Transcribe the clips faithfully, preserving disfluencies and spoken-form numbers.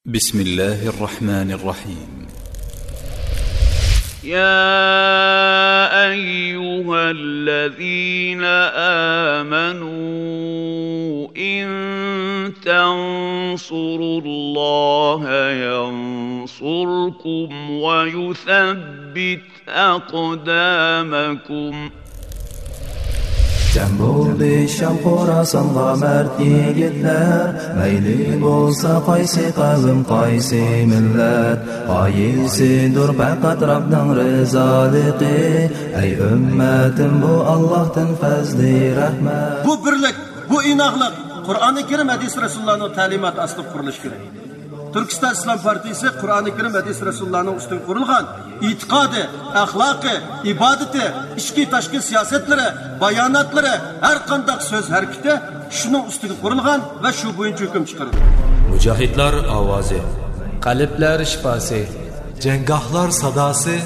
بسم الله الرحمن الرحيم. يا أيها الذين آمنوا إن تنصروا الله ينصركم ويثبت أقدامكم. جەم بولدى شام خوراسانغا مەرد يىگىتلەر، مەيلى بولسا قايسى قەۋم، قايسى مىللەت، غايىسىدۇر پەقەت رەبنىڭ رىزالىقى. ئەي ئۈممەتىم، بۇ ئاللاھتىن پەزلى رەھمەت. بۇ بىرلىك، بۇ ئىناقلىق قۇرئانى كەرىم، ھەدىس رەسۇلۇللانىڭ تەلىماتى ئاستىدا قۇرۇلۇشى كېرەك. تۈركىستان ئىسلام پارتىيىسى قۇرئانى كەرىم، ھەدىس رەسۇلۇللانىڭ ئۈستىگە قۇرۇلغان ئېتىقادى، ئەخلاقى، ئىبادىتى، ئىچكى تاشقى سىياسەتلىرى، باياناتلىرى، ھەر قانداق سۆز ھەرىكىتى شۇنىڭ ئۈستىگە قۇرۇلغان ۋە شۇ بويىچە ھۆكۈم چىقىرىدۇ. مۇجاھىدلار ئاۋازى. قەلبلەر شىپاسى. جەڭگاھلار ساداسى.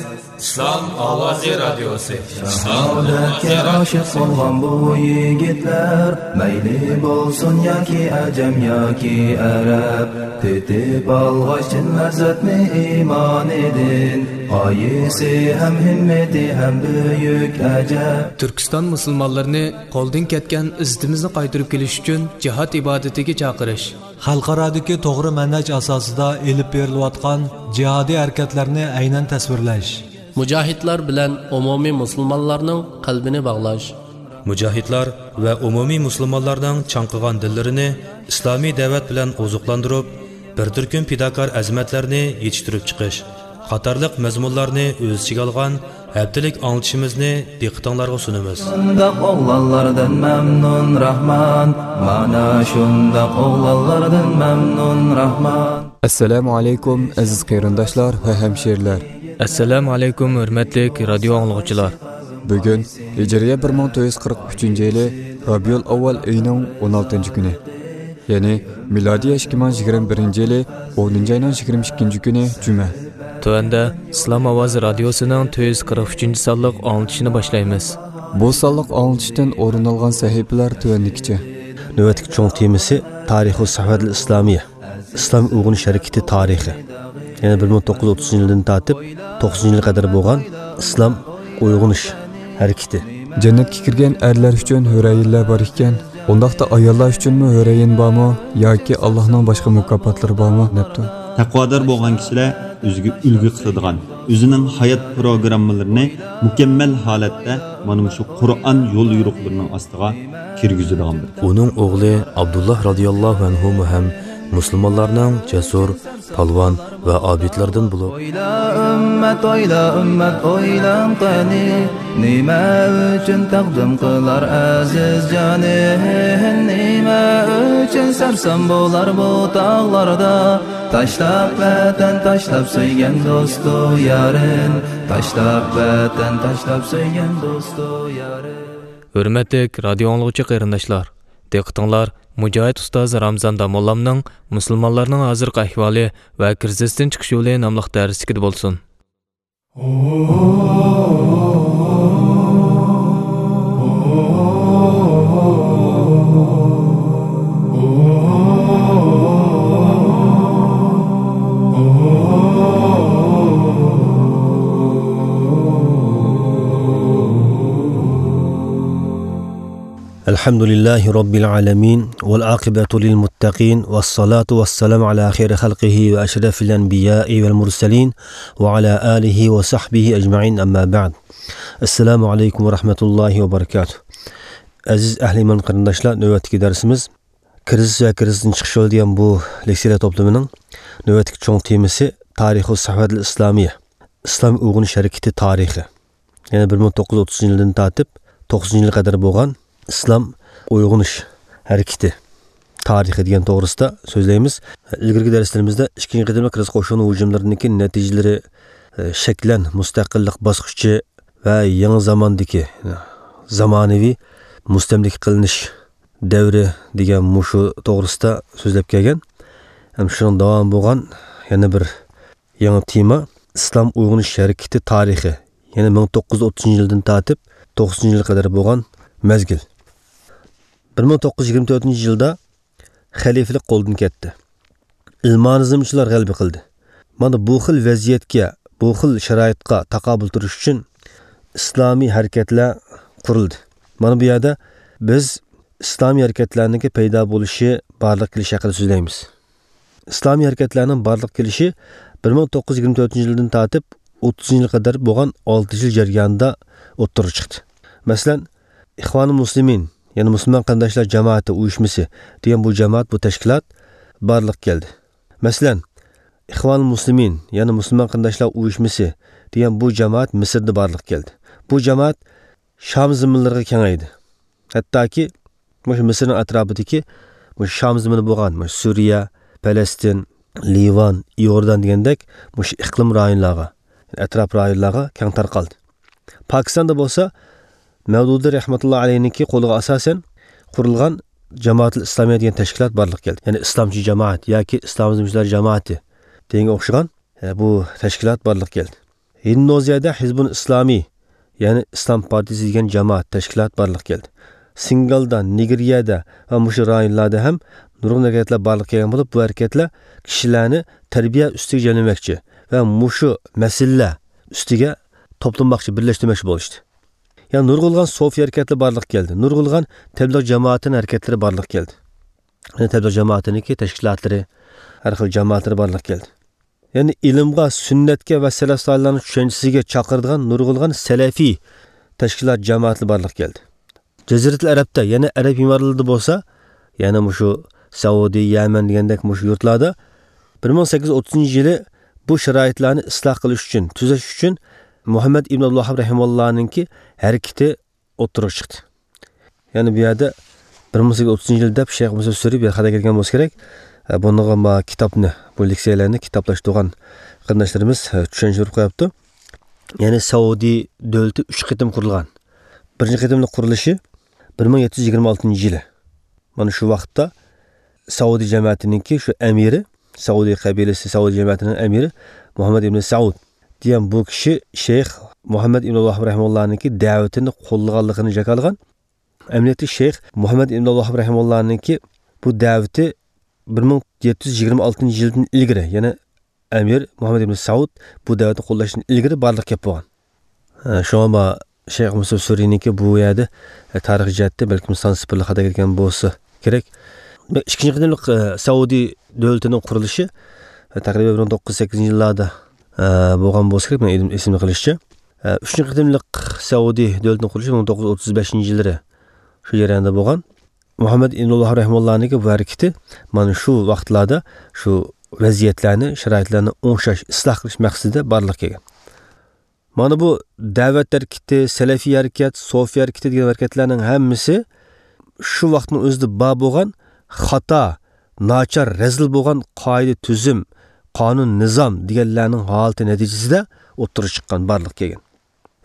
ئىسلام ئاۋازى رادىيوسى. شاھادەتكە ئاشىق بولغان بۇ يىگىتلەر، مەيلى بولسۇن ياكى ئەجەم ياكى ئەرەب، تېتىپ ئالغاچ چىن لەززەتنى ئىمانىدىن، غايىسى ھەم ھىممىتى ھەم بۈيۈك ئەجەب. تۈركىستان مۇسۇلمانلىرىنى قولدىن كەتكەن ئىززىتىمىزنى قايتۇرۇپ كېلىش ئۈچۈن جىھاد ئىبادىتىگە چاقىرىش. خەلقئارادىكى توغرا مەنھەج ئاساسىدا ئېلىپ بېرىلىۋاتقان جىھادىي ھەرىكەتلەرنى ئەينەن تەسۋىرلەش. مۇجاھىدلار بىلەن ئومۇمىي مۇسۇلمانلارنىڭ قەلبىنى باغلاش. مۇجاھىدلار ۋە ئومۇمىي مۇسۇلمانلارنىڭ چاڭقىغان دىللىرىنى ئىسلامىي دەۋەت بىلەن ئوزۇقلاندۇرۇپ، بىر تۈركۈم پىداكار ئەزىمەتلەرنى يېتىشتۈرۈپ چىقىش قاتارلىق مەزمۇنلارنى ئۆز ئىچىگە ئالغان ھەپتىلىك ئاڭلىتىشىمىزنى دىققىتىڭلارغا سۇنىمىز. شۇنداق ئوغلانلاردىن مەمنۇن راھمان، مانا شۇنداق ئوغلانلاردىن مەمنۇن راھمان. ئەسسالامۇ ئەلەيكۇم، ئەزىز قېرىنداشلار ۋە ھەمشىرىلەر. ئەسسالامۇ ئەلەيكۇم، ھۆرمەتلىك رادىيو ئاڭلىغۇچىلار. بۈگۈن ھىجرىيە بىر مىڭ تۆت يۈز قىرىق ئۈچىنچى يىلى رابىئۇل ئەۋۋەل ئېيىنىڭ ئون ئالتىنچى كۈنى. يەنى مىلادىي ئىككى مىڭ يىگىرمە بىرىنچى يىلى ئونىنچى ئاينىڭ يىگىرمە ئىككىنچى كۈنى جۈمە. تۆۋەندە ئىسلام ئاۋازى رادىيوسىنىڭ تۆت يۈز قىرىق ئۈچىنچى سانلىق ئاڭلىتىشىنى باشلايمىز. بۇ سانلىق ئاڭلىتىشتىن ئورۇن ئالغان سەھىپىلەر تۆۋەندىكىچە. نۆۋەتتىكى چوڭ تېمىسى تارىخۇ سەھۋەتىل ئىسلامىيە، ئىسلام ئويغىنىش ھەرىكىتى تارىخى. يەنى بىر مىڭ توققۇز يۈز ئوتتۇزىنچى يىلدىن تارتىپ توقسىنىنچى يىلغا قەدەر بولغان ئىسلام ئويغىنىش ھەرىكىتى. جەننەتكە كىرگەن ئەرلەر ئۈچۈن ھۆرەيىنلەر بار ئىكەن، ئۇنداقتا ئاياللار ئۈچۈنمۇ ھۆرەيىن بارمۇ ياكى ئاللاھنىڭ باشقا مۇكاپاتلىرى بارمۇ دەپتۇ. تەقۋادار بولغان كىشىلەر ئۆزىگە ئۈلگە قىلىدىغان، ئۆزىنىڭ ھايات پروگراممىلىرىنى مۇكەممەل ھالەتتە مانا مۇشۇ قۇرئان يول يورۇقلىرىنىڭ ئاستىغا كىرگۈزىدىغان بىر. ئۇنىڭ ئوغلى ئابدۇللاھ رازىياللاھۇ ئەنھۇمۇ ھەم مۇسۇلمانلارنىڭ جەسۇر، پالۋان ۋە ئابىدلىرىدىن بولۇپ. ئويلا ئۈممەت، ئويلا ئۈممەت، ئويلاڭ قېنى، نېمە ئۈچۈن تەقدىم قىلار ئەزىز جانى؟ نېمە ئۈچۈن سەرسان بولار بۇ تاغلاردا؟ تاشلاپ ۋەتەن، تاشلاپ سۆيگەن دوستۇ يارىن، تاشلاپ ۋەتەن، تاشلاپ سۆيگەن دوستۇ يارىن. ھۆرمەتلىك رادىيو ئاڭلىغۇچى قېرىنداشلار، دىققىتىڭلار مۇجاھىد ئۇستاز رامزان داموللامنىڭ مۇسۇلمانلارنىڭ ھازىرقى ئەھۋالى ۋە كىرىزىستىن چىقىش يولى ناملىق دەرسلىكىدە بولسۇن. الحمد لله رب العالمين، والعاقبة للمتقين، والصلاة والسلام على خير خلقه وأشرف الأنبياء والمرسلين، وعلى آله وصحبه أجمعين، أما بعد. السلام عليكم ورحمة الله وبركاته. ئەزىز ئەھلى ئىمان قېرىنداشلار، نۆۋەتتىكى دەرسىمىز كىرىزىس ۋە كىرىزىستىن چىقىش يولى دېگەن بۇ لېكسىيەلەر توپلىمىنىڭ نۆۋەتتىكى چوڭ تېمىسى تارىخۇ سەھۋەتىل ئىسلامىيە، ئىسلام ئويغىنىش ھەرىكىتى تارىخى. يەنى بىر مىڭ توققۇز يۈز ئوتتۇزىنچى يىلدىن تارتىپ توقسىنىنچى يىلغا قەدەر بولغان ئىسلام ئويغىنىش ھەرىكىتى تارىخى دېگەن توغرىسىدا سۆزلەيمىز. ئىلگىرىكى دەرسلىرىمىزدە ئىككىنچى قېتىملىق كىرىزىس قوشۇن ھۇجۇملىرىدىكى نەتىجىلىرى، ئە، شەكلەن مۇستەقىللىق باسقۇچى ۋە يېڭى زاماندىكى، زامانىۋى مۇستەملىكە قىلىنىش دەۋرى دېگەن مۇشۇ توغرىسىدا سۆزلەپ كەلگەن. ھەم شۇنىڭ داۋامى بولغان يەنە بىر يېڭى تېما، ئىسلام ئويغىنىش ھەرىكىتى تارىخى، يەنى مىڭ توققۇز يۈز ئوتتۇزىنچى يىلدىن تارتىپ توقسىنىنچى يىلغا قەدەر بولغان مەزگىل. بىر مىڭ توققۇز يۈز يىگىرمە تۆتىنچى يىلدا خەلىپىلىك قولدىن كەتتى. ئىلمانىزمچىلار غەلىبە قىلدى. مانا بۇ خىل ۋەزىيەتكە، بۇ خىل شارائىتقا تاقابىل تۇرۇش ئۈچۈن ئىسلامىي ھەرىكەتلەر قۇرۇلدى. مانا بۇ يەردە بىز ئىسلامىي ھەرىكەتلەرنىڭكى پەيدا بولۇشى، بارلىققا كېلىشى ھەققىدە سۆزلەيمىز. ئىسلامىي ھەرىكەتلەرنىڭ بارلىققا كېلىشى بىر مىڭ توققۇز يۈز يىگىرمە تۆتىنچى يىلدىن تارتىپ ئوتتۇزىنچى يىلغا قەدەر بولغان ئالتە يىل جەريانىدا ئوتتۇرىغا چىقتى. مەسىلەن، ئىخۋانۇل مۇسلىمىن، يەنى مۇسۇلمان قېرىنداشلار جامائىتى ئۇيۇشمىسى دېگەن بۇ جامائەت، بۇ تەشكىلات بارلىققا كەلدى. مەسىلەن، ئىخۋانۇل مۇسلىمىن، يەنى مۇسۇلمان قېرىنداشلار ئۇيۇشمىسى دېگەن بۇ جامائەت مىسىردا بارلىققا كەلدى. بۇ جامائەت شام زېمىنلىرىغا كېڭەيدى. ھەتتاكى مۇشۇ مىسىرنىڭ ئەتراپىدىكى مۇشۇ شام زېمىنى بولغان مۇشۇ سۈرىيە، پەلەستىن، لىۋان، ئىئوردان دېگەندەك مۇشۇ ئىقلىم رايونلارغا، ئەتراپ رايونلارغا كەڭ تارقالدى. پاكىستاندا بولسا مەۋدۇدى رەھمەتۇللا ئەلەيھنىڭكى قولىغا ئاساسەن قۇرۇلغان جامائەتۇل ئىسلامىيە دېگەن تەشكىلات بارلىققا كەلدى. يەنى ئىسلامچى جامائەت ياكى ئىسلامىزمچىلار جامائىتى دېگەنگە ئوخشىغان، ئە، بۇ تەشكىلات بارلىققا كەلدى. ھىندونېزىيەدە ھىزبۇن ئىسلامىي، يەنى ئىسلام پارتىيىسى دېگەن جامائەت، تەشكىلات بارلىققا كەلدى. سىنگالدا، نىگېرىيەدە ۋە مۇشۇ رايونلاردا ھەم نۇرغۇن ھەرىكەتلەر بارلىققا كەلگەن بولۇپ، بۇ ھەرىكەتلەر كىشىلەرنى تەربىيە ئۈستىگە جەملىمەكچى ۋە مۇشۇ مەسىلىلەر ئۈستىگە توپلىماقچى، بىرلەشتۈرمەكچى بولۇشتى. يەنە نۇرغۇنلىغان سوفىي ھەرىكەتلىرى بارلىققا كەلدى. نۇرغۇنلىغان تەبلىغ جامائىتىنىڭ ھەرىكەتلىرى بارلىققا كەلدى. يەنە تەبلىغ جامائىتىنىڭكى تەشكىلاتلىرى، ھەر خىل جامائەتلىرى بارلىققا كەلدى. يەنى ئىلىمغا، سۈننەتكە ۋە سەلەف سالىھلارنىڭ چۈشەنچىسىگە چاقىرىدىغان نۇرغۇنلىغان سەلەفىي تەشكىلات، جامائەتلەر بارلىققا كەلدى. جەزىرەتۇل ئەرەبتە، يەنى ئەرەب ئىمارىتىدا بولسا، يەنى مۇشۇ سەئۇدى، يەمەن دېگەندەك مۇشۇ يۇرتلاردا بىر مىڭ سەككىز يۈز ئوتتۇزىنچى يىلى بۇ شارائىتلارنى ئىسلاھ قىلىش ئۈچۈن، تۈزەش ئۈچۈن مۇھەممەد ئىبن ئابدۇل ۋاھاب رەھىمۇللانىڭكى ھەرىكىتى ئوتتۇرىغا چىقتى. يەنى بۇ يەردە بىر مىڭ سەككىز يۈز ئوتتۇزىنچى يىل دەپ شەيخ مۇسا سۈرى بىر خاتا كەلگەن بولسا كېرەك. ئە، بۇنىڭغا ما كىتابنى، بۇ لېكسىيەلەرنى كىتابلاشتۇرغان قېرىنداشلىرىمىز، ئە، چۈشەنچىلدۈرۈپ قويۇپتۇ. يەنى سەئۇدى دۆلىتى ئۈچ قېتىم قۇرۇلغان. بىرىنچى قېتىملىق قۇرۇلۇشى بىر مىڭ يەتتە يۈز يىگىرمە ئالتىنچى يىلى. مانا شۇ ۋاقىتتا سەئۇدى جەمەتىنىڭكى شۇ ئەمىرى، سەئۇدى قەبىلىسى، سەئۇدى جەمەتىنىڭ ئەمىرى مۇھەممەد ئىبن سەئۇد دېگەن بۇ كىشى شەيخ مۇھەممەد ئىبن ۋاھاب رەھىمۇللانىڭكى دەۋىتىنى قوللىغانلىقىنى جاكارلىغان. ئەمەلىيەتتە شەيخ مۇھەممەد ئىبن ۋاھاب رەھىمۇللانىڭكى بۇ دەۋىتى بىر مىڭ يەتتە يۈز يىگىرمە ئالتىنچى يىلدىن ئىلگىرى، يەنى ئەمىر مۇھەممەد ئىبن سەئۇد بۇ دەۋەتنى قوللاشتىن ئىلگىرى بارلىققا كەپ بولغان. ئە، شۇڭا ما شەيخ مۇسا سۈرىنىڭكى بۇ يەردە، ئە، تارىخىي جەھەتتە بەلكىم سان سىپىرلىق خاتا كەتكەن بولسا كېرەك. ئىككىنچى قېتىملىق، ئە، سەئۇدى دۆلىتىنىڭ قۇرۇلۇشى، ئە، تەقرىبەن بىر مىڭ توققۇز يۈز سەككىزىنچى يىللاردا، ئە، بولغان بولسا كېرەك، مېنىڭ ئېسىمدە قېلىشىچە. ئە، ئۈچىنچى قېتىملىق سەئۇدى دۆلىتىنىڭ قۇرۇلۇشى بىر مىڭ توققۇز يۈز ئوتتۇز بەشىنچى يىللىرى شۇ جەرياندا بولغان. مۇھەممەد ئىبن ۋاھاب رەھىمۇللانىڭكى بۇ ھەرىكىتى مانا شۇ ۋاقىتلاردا شۇ ۋەزىيەتلەرنى، شارائىتلارنى ئوڭشاش، ئىسلاھ قىلىش مەقسىتىدە بارلىققا كەلگەن. مانا بۇ دەۋەت ھەرىكىتى، سەلەفىي ھەرىكەت، سوفىي ھەرىكىتى دېگەن ھەرىكەتلەرنىڭ ھەممىسى شۇ ۋاقىتنىڭ ئۆزىدە بار بولغان خاتا، ناچار، رەزىل بولغان قائىدە، تۈزۈم، قانۇن، نىزام دېگەنلەرنىڭ ھالىتى نەتىجىسىدە ئوتتۇرىغا چىققان، بارلىققا كەلگەن.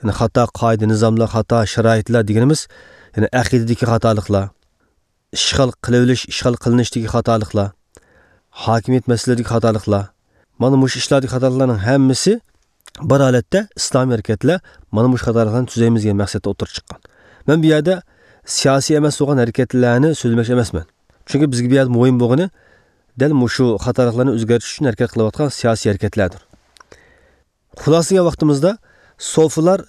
يەنى خاتا قائىدە، نىزاملار، خاتا شارائىتلار دېگىنىمىز، يەنى ئەقىدىدىكى خاتالىقلار، ئىشغال قىلىۋېلىش، ئىشغال قىلىنىشتىكى خاتالىقلار، ھاكىمىيەت مەسىلىلىرىدىكى خاتالىقلار. مانا مۇشۇ ئىشلاردىكى خاتالىقلارنىڭ ھەممىسى بىر ھالەتتە ئىسلامىي ھەرىكەتلەر مانا مۇشۇ خاتالىقلارنى تۈزەيمىز دېگەن مەقسەتتە ئوتتۇرىغا چىققان. مەن بۇ يەردە سىياسىي ئەمەس بولغان ھەرىكەتلەرنى سۆزلىمەكچى ئەمەسمەن. چۈنكى بىزگە بۇ يەردە مۇھىم بولغىنى دەل مۇشۇ خاتالىقلارنى ئۆزگەرتىش ئۈچۈن ھەرىكەت قىلىۋاتقان سىياسىي ھەرىكەتلەردۇر. خۇلاسىلىگەن ۋاقتىمىزدا سوفىلار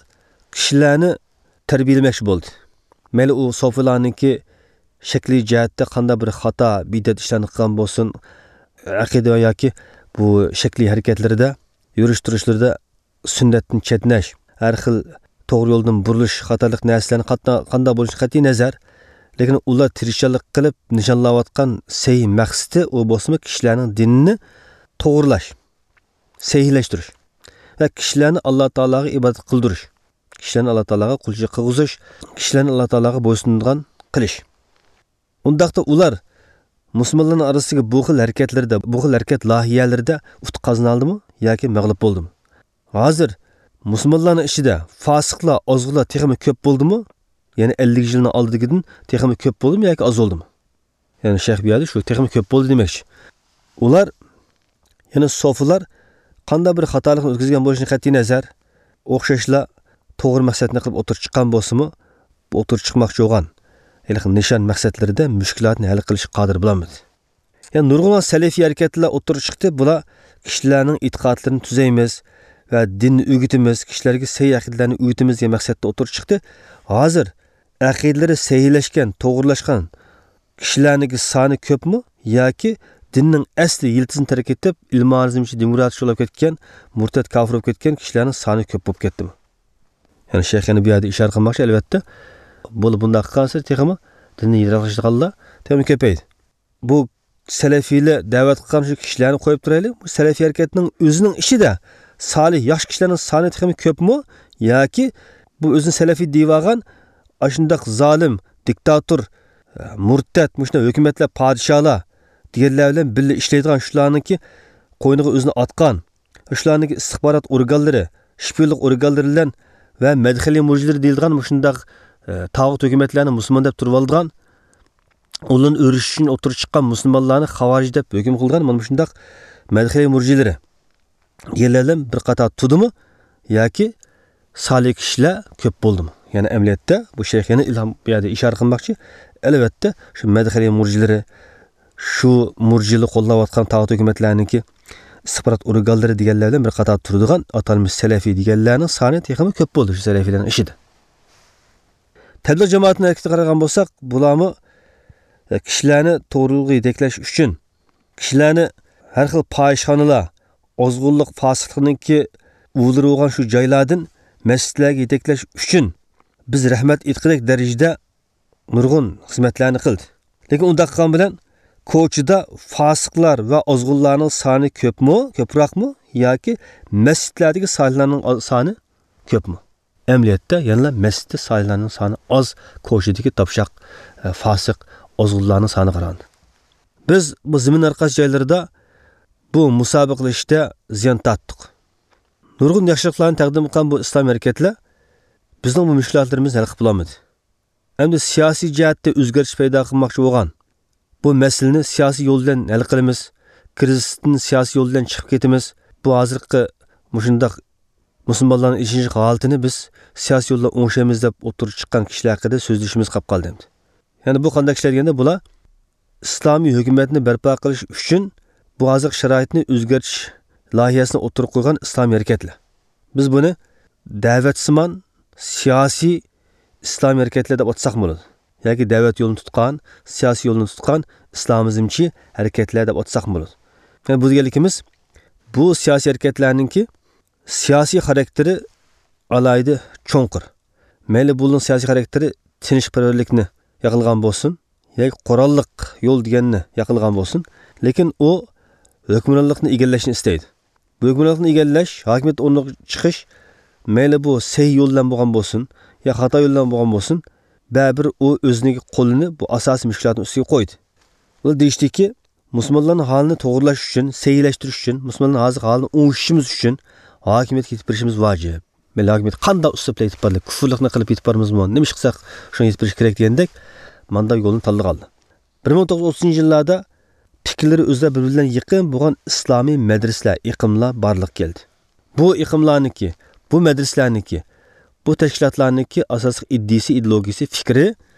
كىشىلەرنى تەربىيەلىمەكچى بولدى. مەيلى ئۇ سوفىلارنىڭكى شەكلىي جەھەتتە قانداق بىر خاتا، بىدئەت ئىشلارنى قىلغان بولسۇن، ئەقىدە ياكى بۇ شەكلىي ھەرىكەتلىرىدە، يۈرۈش تۇرۇشلىرىدا سۈننەتتىن چەتنەش، ھەر خىل توغرا يولدىن بۇرۇلۇش قاتارلىق نەرسىلەرنى قاتنا-، قانداق بولۇشى قەتئىي نەزەر، لېكىن ئۇلار تىرىشچانلىق قىلىپ نىشانلاۋاتقان سەھىھ مەقسىتى ئۇ بولسىمۇ كىشىلەرنىڭ دىنىنى توغرىلاش، سەھىھلەشتۈرۈش ۋە كىشىلەرنى ئاللا تائالاغا ئىبادەت قىلدۇرۇش، كىشىلەرنى ئاللا تائالاغا قۇلچىلىق قىلغۇزۇش، كىشىلەرنى ئاللا تائالاغا بويسۇنىدىغان قىلىش. ئۇنداقتا ئۇلار مۇسۇلمانلارنىڭ ئارىسىدىكى بۇ خىل ھەرىكەتلىرىدە، بۇ خىل ھەرىكەت لايىھەلىرىدە ئۇتۇق قازىنالدىمۇ ياكى مەغلۇپ بولدىمۇ؟ ھازىر مۇسۇلمانلارنىڭ ئىچىدە فاسىقلار، ئازغۇنلار تېخىمۇ كۆپ بولدىمۇ؟ يەنى ئەللىك يىلنىڭ ئالدىدىكىدىن تېخىمۇ كۆپ بولدىمۇ ياكى ئازالدىمۇ؟ يەنى شەيخ بۇ يەردە شۇ تېخىمۇ كۆپ بولدى دېمەكچى. ئۇلار، يەنى سوفىلار قانداق بىر خاتالىقنى ئۆتكۈزگەن بولۇشىدىن قەتئىي نەزەر، ئوخشاشلا توغرا مەقسەتنى قىلىپ ئوتتۇرىغا چىققان بولسىمۇ، بۇ ئوتتۇرىغا چىقماقچى بولغان ھېلىقى نىشان مەقسەتلىرىدە مۈشكۈلاتنى ھەل قىلىشقا قادىر بولالمىدى. يەنى نۇرغۇنلىغان سەلەفىي ھەرىكەتلەر ئوتتۇرىغا چىقتى. بۇلار كىشىلەرنىڭ ئېتىقادلىرىنى تۈزەيمىز ۋە دىننى ئۆگىتىمىز، كىشىلەرگە سەھىھ ئەقىدىلەرنى ئۆگىتىمىز دېگەن مەقسەتتە ئوتتۇرىغا چىقتى. ھازىر ئەقىدىلىرى سەھىھلەشكەن، توغرىلاشقان كىشىلەرنىڭكى سانى كۆپمۇ ياكى دىننىڭ ئەسلى يىلتىزىنى تەرك ئېتىپ، ئىلمانىزم ئىچىدە دېموكراتچى بولۇپ كەتكەن، مۇرتەت كاپىر بولۇپ كەتكەن كىشىلەرنىڭ سانى كۆپ بولۇپ كەتتىمۇ؟ يەنى شەيخ يەنە بۇ يەردە ئىشارە قىلماقچى، ئەلۋەتتە، بۇ، بۇنداق قىلغانسېرى تېخىمۇ دىندىن يىراقلىشىدىغانلار تېخىمۇ كۆپەيدى. بۇ سەلەفىيلەر دەۋەت قىلغان شۇ كىشىلەرنى قويۇپ تۇرايلى. بۇ سەلەفىي ھەرىكەتنىڭ ئۆزىنىڭ ئىچىدە سالىھ، ياخشى كىشىلەرنىڭ سانى تېخىمۇ كۆپمۇ ياكى بۇ ئۆزىنى سەلەفىي دېيىۋالغان ئاشۇنداق زالىم، دىكتاتور، مۇرتەت، مۇشۇنداق ھۆكۈمەتلەر، پادىشاھلار دېگەنلەر بىلەن بىللە ئىشلەيدىغان شۇلارنىڭكى قوينىغا ئۆزىنى ئاتقان، شۇلارنىڭكى ئىستىخبارات ئورگانلىرى، شپىيونلۇق ئورگانلىرى بىلەن ۋە مەدخەلىي مۇرجىلىرى دېيىلىدىغان مۇشۇنداق، ئە، تاغۇت ھۆكۈمەتلەرنى مۇسۇلمان دەپ تۇرۇۋالىدىغان، ئۇلارنى ئۆرۈش ئۈچۈن ئوتتۇرىغا چىققان مۇسۇلمانلارنى خاۋارىج دەپ ھۆكۈم قىلغان مانا مۇشۇنداق مەدخەلىي مۇرجىلىرى دېگەنلەر بىلەن بىر قاتار تۇردىمۇ ياكى سالىھ كىشىلەر كۆپ بولدىمۇ؟ يەنى ئەمەلىيەتتە بۇ شەيخ يەنە ئىلھام بۇ يەردە ئىشارە قىلماقچى. ئەلۋەتتە، شۇ مەدخەلىي مۇرجىلىرى، شۇ مۇرجىلار قوللاۋاتقان تاغۇت ھۆكۈمەتلەرنىڭكى ئىستىخبارات ئورگانلىرى دېگەنلەر بىلەن بىر قاتار تۇرىدىغان ئاتالمىش سەلەفىي دېگەنلەرنىڭ سانى تېخىمۇ كۆپ بولدى شۇ سەلەفىيلەرنىڭ ئىچىدە. تەبلىغ جامائىتىنىڭ ھەرىكىتىگە قارىغان بولساق، بۇلارمۇ، ئە، كىشىلەرنى توغرىلىققا يېتەكلەش ئۈچۈن، كىشىلەرنى ھەر خىل پاھىشخانىلار، ئازغۇنلۇق، پاسىقلىقنىڭكى ئۇۋىلىرى بولغان شۇ جايلاردىن مەسچىتلەرگە يېتەكلەش ئۈچۈن بىز رەھمەت ئېيتقۇدەك دەرىجىدە نۇرغۇن خىزمەتلەرنى قىلدى. لېكىن ئۇنداق قىلغان بىلەن كوچىدا فاسىقلار ۋە ئازغۇنلارنىڭ سانى كۆپمۇ، كۆپرەكمۇ ياكى مەسچىتلەردىكى سالىھلارنىڭ سانى كۆپمۇ؟ ئەمەلىيەتتە يەنىلا مەسچىتتە سالىھلارنىڭ سانى ئاز، كوچىدىكى تاپشاق، ئە، فاسىق، ئازغۇنلارنىڭ سانىغا قارىغاندا. بىز بۇ زېمىن ھەر قايسى جايلىرىدا بۇ مۇسابىقىلىشىشتە زىيان تارتتۇق. نۇرغۇن ياخشىلىقلارنى تەقدىم قىلغان بۇ ئىسلام ھەرىكەتلەر بىزنىڭ بۇ مۈشكۈلاتلىرىمىزنى ھەل قىلىپ بولالمىدى. ئەمدى سىياسىي جەھەتتە ئۆزگىرىش پەيدا قىلماقچى بولغان، بۇ مەسىلىنى سىياسىي يول بىلەن ھەل قىلىمىز، كىرىزىستىن سىياسىي يول بىلەن چىقىپ كېتىمىز، بۇ ھازىرقى مۇشۇنداق مۇسۇلمانلارنىڭ ئېچىنىشلىق ھالىتىنى بىز سىياسىي يول بىلەن ئوڭشايمىز دەپ ئوتتۇرىغا چىققان كىشىلەر ھەققىدە سۆزلىشىمىز قاپ قالدى ئەمدى. يەنى بۇ قانداق كىشىلەر دېگەندە، بۇلار ئىسلامىي ھۆكۈمەتنى بەرپا قىلىش ئۈچۈن بۇ ھازىرقى شارائىتنى ئۆزگەرتىش لايىھەسىنى ئوتتۇرىغا قويغان ئىسلامىي ھەرىكەتلەر. بىز بۇنى دەۋەتسىمان سىياسىي ئىسلامىي ھەرىكەتلەر دەپ ئاتىساقمۇ بولىدۇ. ياكى دەۋەت يولىنى تۇتقان، سىياسىي يولنى تۇتقان ئىسلامىزمچى ھەرىكەتلەر دەپ ئاتىساقمۇ بولىدۇ. يەنى بۇ دېگەنلىكىمىز، بۇ سىياسىي ھەرىكەتلەرنىڭكى سىياسىي خاراكتېرى ئالاھىدە چوڭقۇر. مەيلى بۇنىڭ سىياسىي خاراكتېرى تىنچپەرۋەرلىكنى ياقلىغان بولسۇن، ياكى قوراللىق يول دېگەننى ياقلىغان بولسۇن، لېكىن ئۇ ھۆكۈمرانلىقنى ئىگىلەشنى ئىستەيدۇ. بۇ ھۆكۈمرانلىقنى ئىگىلەش، ھاكىمىيەت ئورنىغا چىقىش، مەيلى بۇ سەھىھ يول بىلەن بولغان بولسۇن، يا خاتا يول بىلەن بولغان بولسۇن، بەرىبىر ئۇ ئۆزىنىڭ قولىنى بۇ ئاساسىي مۈشكۈلاتنىڭ ئۈستىگە قويدى. ئۇلار دېيىشتىكى، مۇسۇلمانلارنىڭ ھالىنى توغرىلاش ئۈچۈن، سەھىھلەشتۈرۈش ئۈچۈن، مۇسۇلمانلارنىڭ ھازىرقى ھالىنى ئوڭشىشىمىز ئۈچۈن ھاكىمىيەتكە يېتىپ بېرىشىمىز ۋاجىپ. مەيلى ھاكىمىيەتكە قانداق ئۇسلۇبتا يېتىپ بارلى، كۇفرلۇقنى قىلىپ يېتىپ بارىمىزمۇ، نېمە ئىش قىلساق شۇڭا يېتىپ بېرىش كېرەك دېگەندەك، مانداق يولنى تاللىغانلار. بىر مىڭ توققۇز يۈز ئوتتۇزىنچى يىللاردا پىكىرلىرى ئۆزئارا بىر-بىرى بىلەن يېقىن بولغان ئىسلامىي مەدرىسىلەر، ئېقىملار بارلىققا كەلدى. بۇ ئېقىملارنىڭكى، بۇ مەدرىسىلەرنىڭكى، بۇ تەشكىلاتلارنىڭكى ئاساسلىق ئىدىيىسى، ئىدېئولوگىيىسى، پىكرى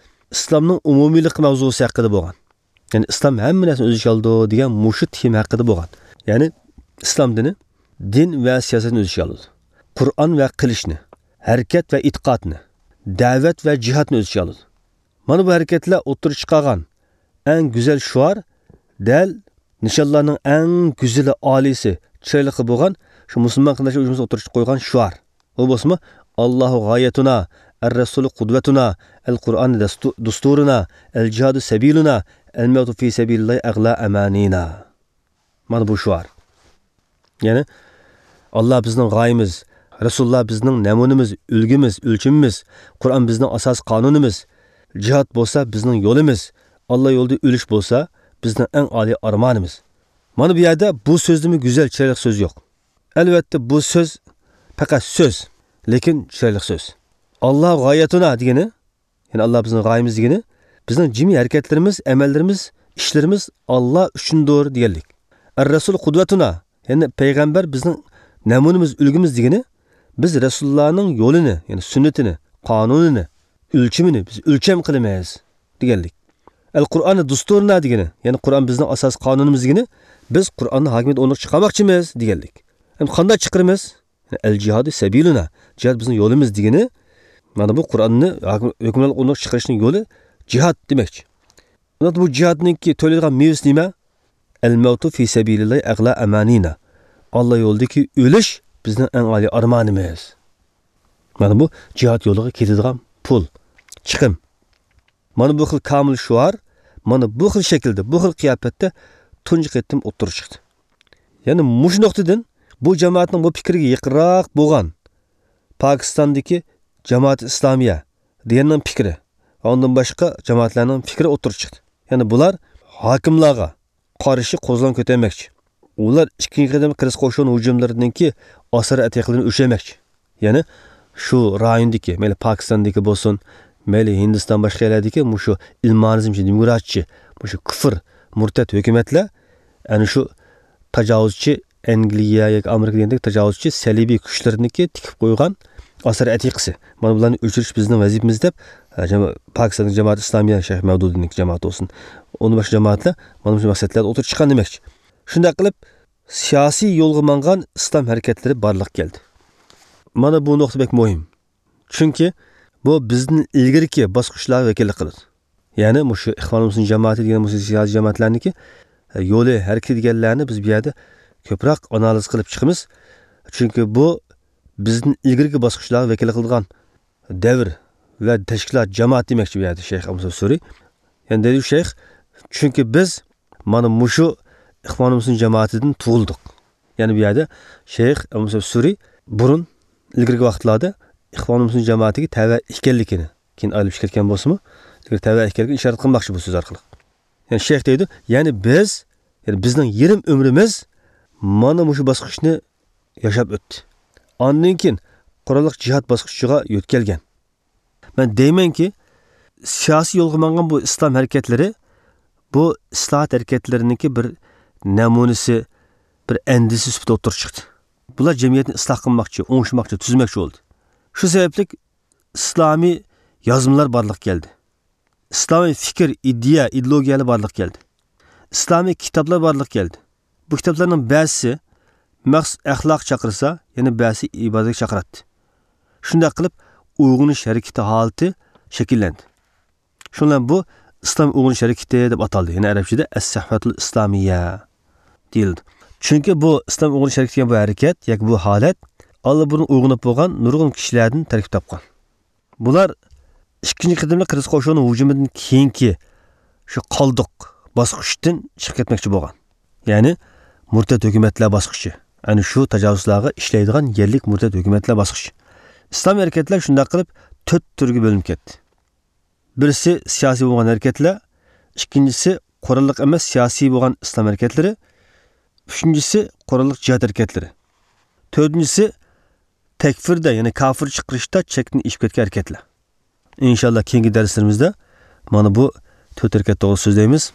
ئىسلامنىڭ ئومۇمىيلىقى مەۋزۇسى ھەققىدە بولغان. يەنى ئىسلام ھەممە نەرسىنى ئۆز ئىچىگە ئالىدۇ دېگەن مۇشۇ تېما ھەققىدە بولغان. يەنى ئىسلام دىنى دىن ۋە سىياسەتنى ئۆز ئىچىگە ئالىدۇ. قۇرئان ۋە قىلىچنى، ھەرىكەت ۋە ئېتىقادنى، دەۋەت ۋە جىھادنى ئۆز ئىچىگە ئالىدۇ. مانا بۇ ھەرىكەتلەر ئوتتۇرىغا چىقارغان ئەڭ گۈزەل شوئار دەل نىشانلارنىڭ ئەڭ گۈزىلى، ئالىيسى، چىرايلىقى بولغان شۇ مۇسۇلمان قېرىنداشلار ئۇيۇشمىسى ئوتتۇرىغا قويغان شوئار. ئۇ بولسىمۇ، «ئاللاھۇ غايەتۇنا، ئەر رەسۇلۇ قۇدۋەتۇنا، ئەل قۇرئان دەستۇ-، دۇستۇرۇنا، ئەل جىھادۇ سەبىلۇنا، ئەل مەۋتۇ فى سەبىلىللاھى ئەغلا ئەمانىنا.» مانا بۇ شوئار. يەنى، «ئاللا بىزنىڭ غايىمىز، رەسۇلۇللا بىزنىڭ نەمۇنىمىز، ئۈلگىمىز، ئۆلچىمىمىز، قۇرئان بىزنىڭ ئاساسىي قانۇنىمىز، جىھاد بولسا بىزنىڭ يولىمىز، ئاللا يولىدا ئۆلۈش بولسا بىزنىڭ ئەڭ ئالىي ئارمانىمىز.» مانا بۇ يەردە بۇ سۆزدىنمۇ گۈزەل، چىرايلىق سۆز يوق. ئەلۋەتتە، بۇ سۆز پەقەت سۆز، لېكىن چىرايلىق سۆز. «ئاللا غايەتۇنا» دېگىنى، يەنى «ئاللا بىزنىڭ غايىمىز» دېگىنى، بىزنىڭ جىمى ھەرىكەتلىرىمىز، ئەمەللىرىمىز، ئىشلىرىمىز ئاللا ئۈچۈندۇر دېگەنلىك. «ئەر رەسۇل قۇدۋەتۇنا»، يەنى پەيغەمبەر بىزنىڭ نەمۇنىمىز، ئۈلگىمىز دېگىنى، بىز رەسۇلۇللانىڭ يولىنى، يەنى سۈننىتىنى، قانۇنىنى، ئۆلچىمىنى بىز ئۆلچەم قىلىمىز دېگەنلىك. ئەل قۇرئانى دۇستۇرنا دېگىنى، يەنى قۇرئان بىزنىڭ ئاساسىي قانۇنىمىز دېگىنى، بىز قۇرئاننى ھاكىمىيەت ئورنىغا چىقارماقچىمىز دېگەنلىك. ئەمدى قانداق چىقىرىمىز؟ يەنى ئەل جىھادى سەبىلۇنا، جىھاد بىزنىڭ يولىمىز دېگىنى، مانا بۇ قۇرئاننى ھاكىم-، ھۆكۈمرانلىق ئورنىغا چىقىرىشنىڭ يولى جىھاد دېمەكچى. ئەمدى بۇ جىھادنىڭكى تۆلەيدىغان مېۋىسى نېمە؟ ئەل مەۋتۇ فى سەبىلىللاھى ئەغلا ئەمانىنا. ئاللا يولىدىكى ئۆلۈش بىزنىڭ ئەڭ ئالىي ئارمانىمىز. مانا بۇ جىھاد يولىغا كېتىدىغان پۇل، چىقىم. مانا بۇ خىل كامىل شوئار، مانا بۇ خىل شەكىلدە، بۇ خىل قىياپەتتە تۇنجى قېتىم ئوتتۇرىغا چىقتى. يەنى مۇشۇ نۇقتىدىن بۇ جامائەتنىڭ بۇ پىكرىگە يېقىنراق بولغان پاكىستاندىكى جامائەت ئىسلامىيە دېگەننىڭ پىكرى ۋە ئۇندىن باشقا جامائەتلەرنىڭ پىكرى ئوتتۇرىغا چىقتى. يەنى بۇلار ھاكىملارغا قارشى قوزغىلاڭ كۆتەرمەكچى. ئۇلار ئىككىنچى قېتىم قىرغىز قوشۇن ھۇجۇملىرىدىنكى ئاسار ئەتىقىلىرىنى ئۆچۈرمەكچى. يەنى شۇ رايوندىكى، مەيلى پاكىستاندىكى بولسۇن، مەيلى ھىندىستان، باشقا يەرلەردىكى مۇشۇ ئىلمانىزمچى، دېموكراتچى، مۇشۇ كۇفر، مۇرتەت ھۆكۈمەتلەر ئەنە شۇ تاجاۋۇزچى ئەنگلىيە ياكى ئامېرىكا دېگەندەك تاجاۋۇزچى سەلىبىي كۈچلىرىنىڭكى تىكىپ قويغان ئاسار ئەتىقىسى. مانا بۇلارنى ئۆچۈرۈش بىزنىڭ ۋەزىپىمىز دەپ، ئە، جاما-، پاكىستان جامائەت ئىسلامىيە، شەيخ مەۋدۇدىنىڭ جامائىتى بولسۇن، ئۇندىن باشقا جامائەتلەر مانا مۇشۇ مەقسەتلەردە ئوتتۇرىغا چىققان دېمەكچى. شۇنداق قىلىپ، سىياسىي يولغا ماڭغان ئىسلام ھەرىكەتلىرى بارلىققا كەلدى. مانا بۇ نۇقتا بەك مۇھىم. چۈنكى بۇ بىزدىن ئىلگىرىكى باسقۇچلارغا ۋەكىللىك قىلىدۇ. يەنى مۇشۇ ئىخۋان مۇسلىمىن جامائىتى دېگەن مۇشۇ سىياسىي جامائەتلەرنىڭكى، ئە، يولى، ھەرىكىتى دېگەنلەرنى بىز بۇ يەردە كۆپرەك ئانالىز قىلىپ چىقىمىز. چۈنكى بۇ بىزدىن ئىلگىرىكى باسقۇچلارغا ۋەكىللىك قىلىدىغان دەۋر ۋە تەشكىلات، جامائەت دېمەكچى بۇ يەردە شەيخ ئەبۇ مۇسەب سۈرى. يەنى دەيدۇ شەيخ، چۈنكى بىز مانا مۇشۇ ئىخۋان مۇسلىمىن جامائىتىدىن تۇغۇلدۇق. يەنى بۇ يەردە شەيخ ئەبۇ مۇسەب سۈرى بۇرۇن، ئىلگىرىكى ۋاقىتلاردا ئىخۋان مۇسلىمىن جامائىتىگە تەۋە ئىكەنلىكىنى، كېيىن ئايرىلىپ چىقىپ كەتكەن بولسىمۇ، لېكىن تەۋە ئىكەنلىكىنى ئىشارەت قىلماقچى بۇ سۆز ئارقىلىق. يەنى شەيخ دەيدۇ، يەنى بىز، يەنى بىزنىڭ يېرىم ئۆمرىمىز مانا مۇشۇ باسقۇچنى ياشاپ ئۆتتى. ئاندىن كېيىن قوراللىق جىھاد باسقۇچىغا يۆتكەلگەن. مەن دەيمەنكى، سىياسىي يولغا ماڭغان بۇ ئىسلام ھەرىكەتلىرى، بۇ ئىسلاھات ھەرىكەتلىرىنىڭكى بىر نەمۇنىسى، بىر ئەندىزىسى سۈپىتىدە ئوتتۇرىغا چىقتى. بۇلار جەمئىيەتنى ئىسلاھ قىلماقچى، ئوڭشىماقچى، تۈزمەكچى بولدى. شۇ سەۋەبلىك ئىسلامىي يازمىلار بارلىققا كەلدى. ئىسلامىي پىكىر، ئىدىيە، ئىدېئولوگىيەلەر بارلىققا كەلدى. ئىسلامىي كىتابلار بارلىققا كەلدى. بۇ كىتابلارنىڭ بەزىسى مەخسۇس ئەخلاققا چاقىرسا، يەنە بەزىسى ئىبادەتكە چاقىراتتى. شۇنداق قىلىپ، ئويغىنىش ھەرىكىتى ھالىتى شەكىللەندى. شۇنىڭ بىلەن بۇ ئىسلام ئويغىنىش ھەرىكىتى دەپ ئاتالدى. يەنى ئەرەبچىدە ئەس-سەھۋەتۇل ئىسلامىيە دېيىلدى. چۈنكى بۇ ئىسلام ئويغىنىش ھەرىكىتى دېگەن بۇ ھەرىكەت ياكى بۇ ھالەت ئاللىبۇرۇن ئويغىنىپ بولغان نۇرغۇن كىشىلەردىن تەركىب تاپقان. بۇلار ئىككىنچى قېتىملىق قىرغىز قوشۇنى ھۇجۇمىدىن كېيىنكى شۇ قالدۇق باسقۇچتىن چىقىپ كەتمەكچى بولغان. يەنى مۇرتەت ھۆكۈمەتلەر باسقۇچى. ئەنە شۇ تاجاۋۇزچىلارغا ئىشلەيدىغان يەرلىك مۇرتەت ھۆكۈمەتلەر باسقۇچى. ئىسلام ھەرىكەتلەر شۇنداق قىلىپ تۆت تۈرگە بۆلۈنۈپ كەتتى. بىرسى سىياسىي بولغان ھەرىكەتلەر، ئىككىنچىسى قوراللىق ئەمەس سىياسىي بولغان ئىسلام ھەرىكەتلىرى، ئۈچىنچىسى قوراللىق جىھاد ھەرىكەتلىرى، تۆتىنچىسى تەكفىردە، يەنى كاپىر چىقىرىشتا چەكتىن ئېشىپ كەتكەن ھەرىكەتلەر. ئىنشاللا كېيىنكى دەرسلىرىمىزدە مانا بۇ تۆت ھەرىكەت توغرىسىدا سۆزلەيمىز.